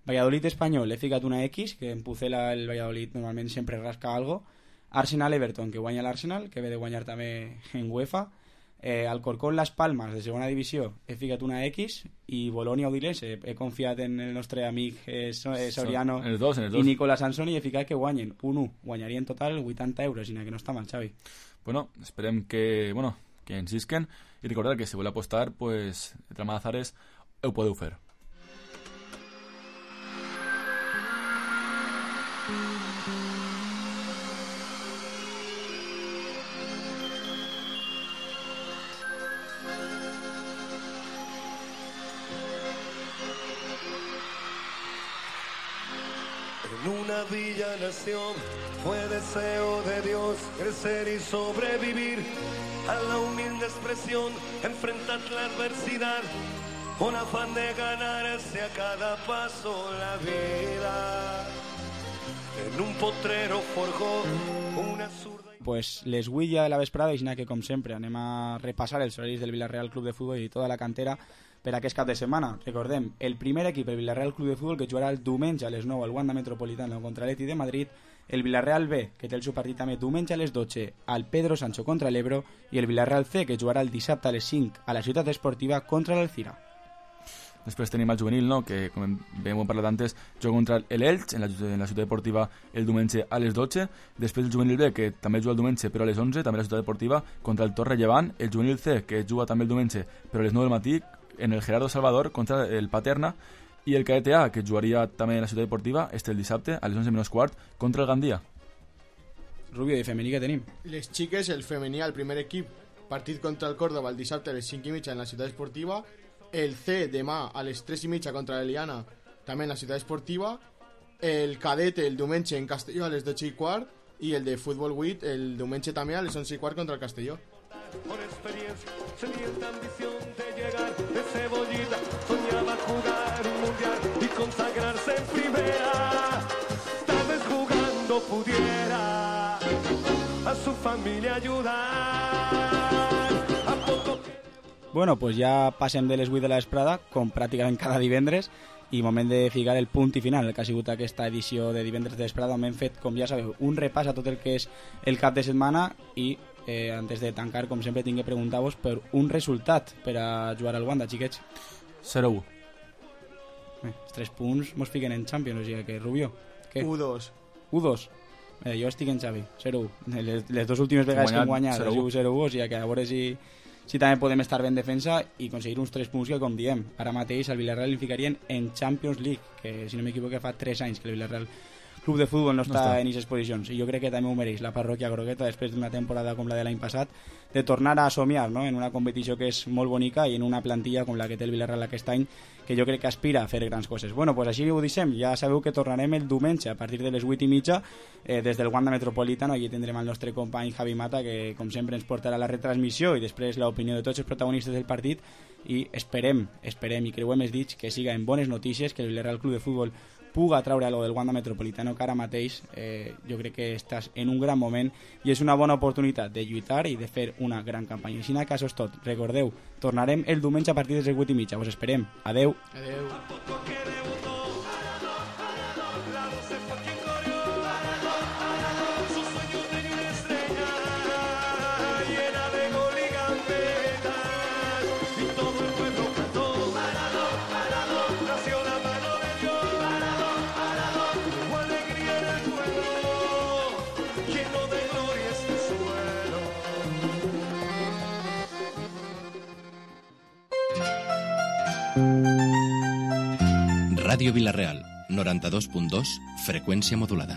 Valladolid-Espanyol, he ficat una X, que en Pucela el Valladolid normalment sempre rasca algo. Arsenal-Everton, que guanya l'Arsenal, que ve de guanyar també en UEFA. Alcorcón-Las Palmas, de segona divisió, he ficat una X, i Bolonia-Udinese, he confiat en el nostre amic Soriano en els dos. I Nicolas Sansoni, i he ficat que guanyen 1-1, guanyaria en total 80 euros, que no està mal, Xavi. Bueno, esperem que insisquen, i recordar que si voleu apostar, pues, de trama d'azares, ho podeu fer. En una villa nació, fue deseo de Dios crecer y sobrevivir a la humilde expresión, enfrentar la adversidad con afán de ganarse a cada paso la vida. En un potrero forjó una zurda... Pues les vull ja de la vesprada, i que com sempre anem a repassar els horaris del Villarreal Club de Futbol i tota la cantera per aquest cap de setmana. Recordem, el primer equip, el Villarreal Club de Futbol, que jugarà el diumenge a les 9 al Wanda Metropolitano contra l'Atleti de Madrid, el Villarreal B, que té el seu partit també diumenge a les 12 al Pedro Sancho contra l'Ebro, i el Villarreal C, que jugarà el dissabte a les 5 a la Ciutat Esportiva contra l'Alcira. Després tenim el juvenil, no?, que com hem parlat antes, juga contra l'Elx en la Ciutat Deportiva el diumenge a les 12. Després el juvenil B, que també juga el diumenge però a les 11, també a la Ciutat Deportiva contra el Torre Llevant. El juvenil C, que juga també el diumenge però a les 9 del matí en el Gerardo Salvador contra el Paterna. I el cadet A, que jugaria també en la Ciutat Deportiva, el dissabte a les 11:15 contra el Gandia. Rubio, i femení que tenim? Les xiques, el femení, el primer equip, partit contra el Córdoba el dissabte a les 5:30 en la Ciutat Esportiva. El C demà a les 3:30 contra l'Eliana, també en la Ciutat Esportiva. El cadete el diumenge en Castelló a les 12:15, i el de Futbol 8 el diumenge també a les 11:15 contra el Castelló. Por experiencia, sedienta ambición de llegar de cebollita, soñaba jugar un mundial y consagrarse en primera. Tal vez jugando pudiera a su familia ayudar. A poco... Bueno, pues ja passem de les 8 de la vesprada, com pràcticament cada divendres, i moment de ficar el punt i final, el que ha sigut aquesta edició de divendres de vesprada, on hem fet, com ja sabeu, un repàs a tot el que és el cap de setmana, i antes de tancar, com sempre, tinc que preguntar-vos per un resultat per a jugar al Wanda, xiquets. 0-1. Els 3 punts mos fiquen en Champions, o sigui que, Rubio, què? 1-2. 1-2. Jo estic en Xavi, 0-1. Les dues últimes vegades que hem guanyat, 0-1, o sigui que a veure si també podem estar ben defensa i aconseguir uns 3 punts que, com diem, ara mateix al Villarreal li ficarien en Champions League, que si no m'equivoco fa 3 anys que el Villarreal Club de Futbol no està en aquestes posicions, i jo crec que també ho mereix la parròquia grogueta després d'una temporada com la de l'any passat, de tornar a somiar, no?, en una competició que és molt bonica i en una plantilla com la que té el Villarreal aquest any, que jo crec que aspira a fer grans coses. Bueno, pues així ho deixem, ja sabeu que tornarem el diumenge a partir de les 8:30 des del Wanda Metropolitano. Allí tindrem el nostre company Javi Mata, que com sempre ens portarà la retransmissió i després l'opinió de tots els protagonistes del partit, i esperem i creuem els dits que siga en bones notícies, que el Villarreal Club de Futbol puga treure lo del Wanda Metropolitano, que ara mateix jo crec que estàs en un gran moment i és una bona oportunitat de lluitar i de fer una gran campanya. Així que això és tot. Recordeu, tornarem el diumenge a partir de les 8:30. Us esperem. Adeu. Adeu. Ràdio Vila-real, 92.2, freqüència modulada.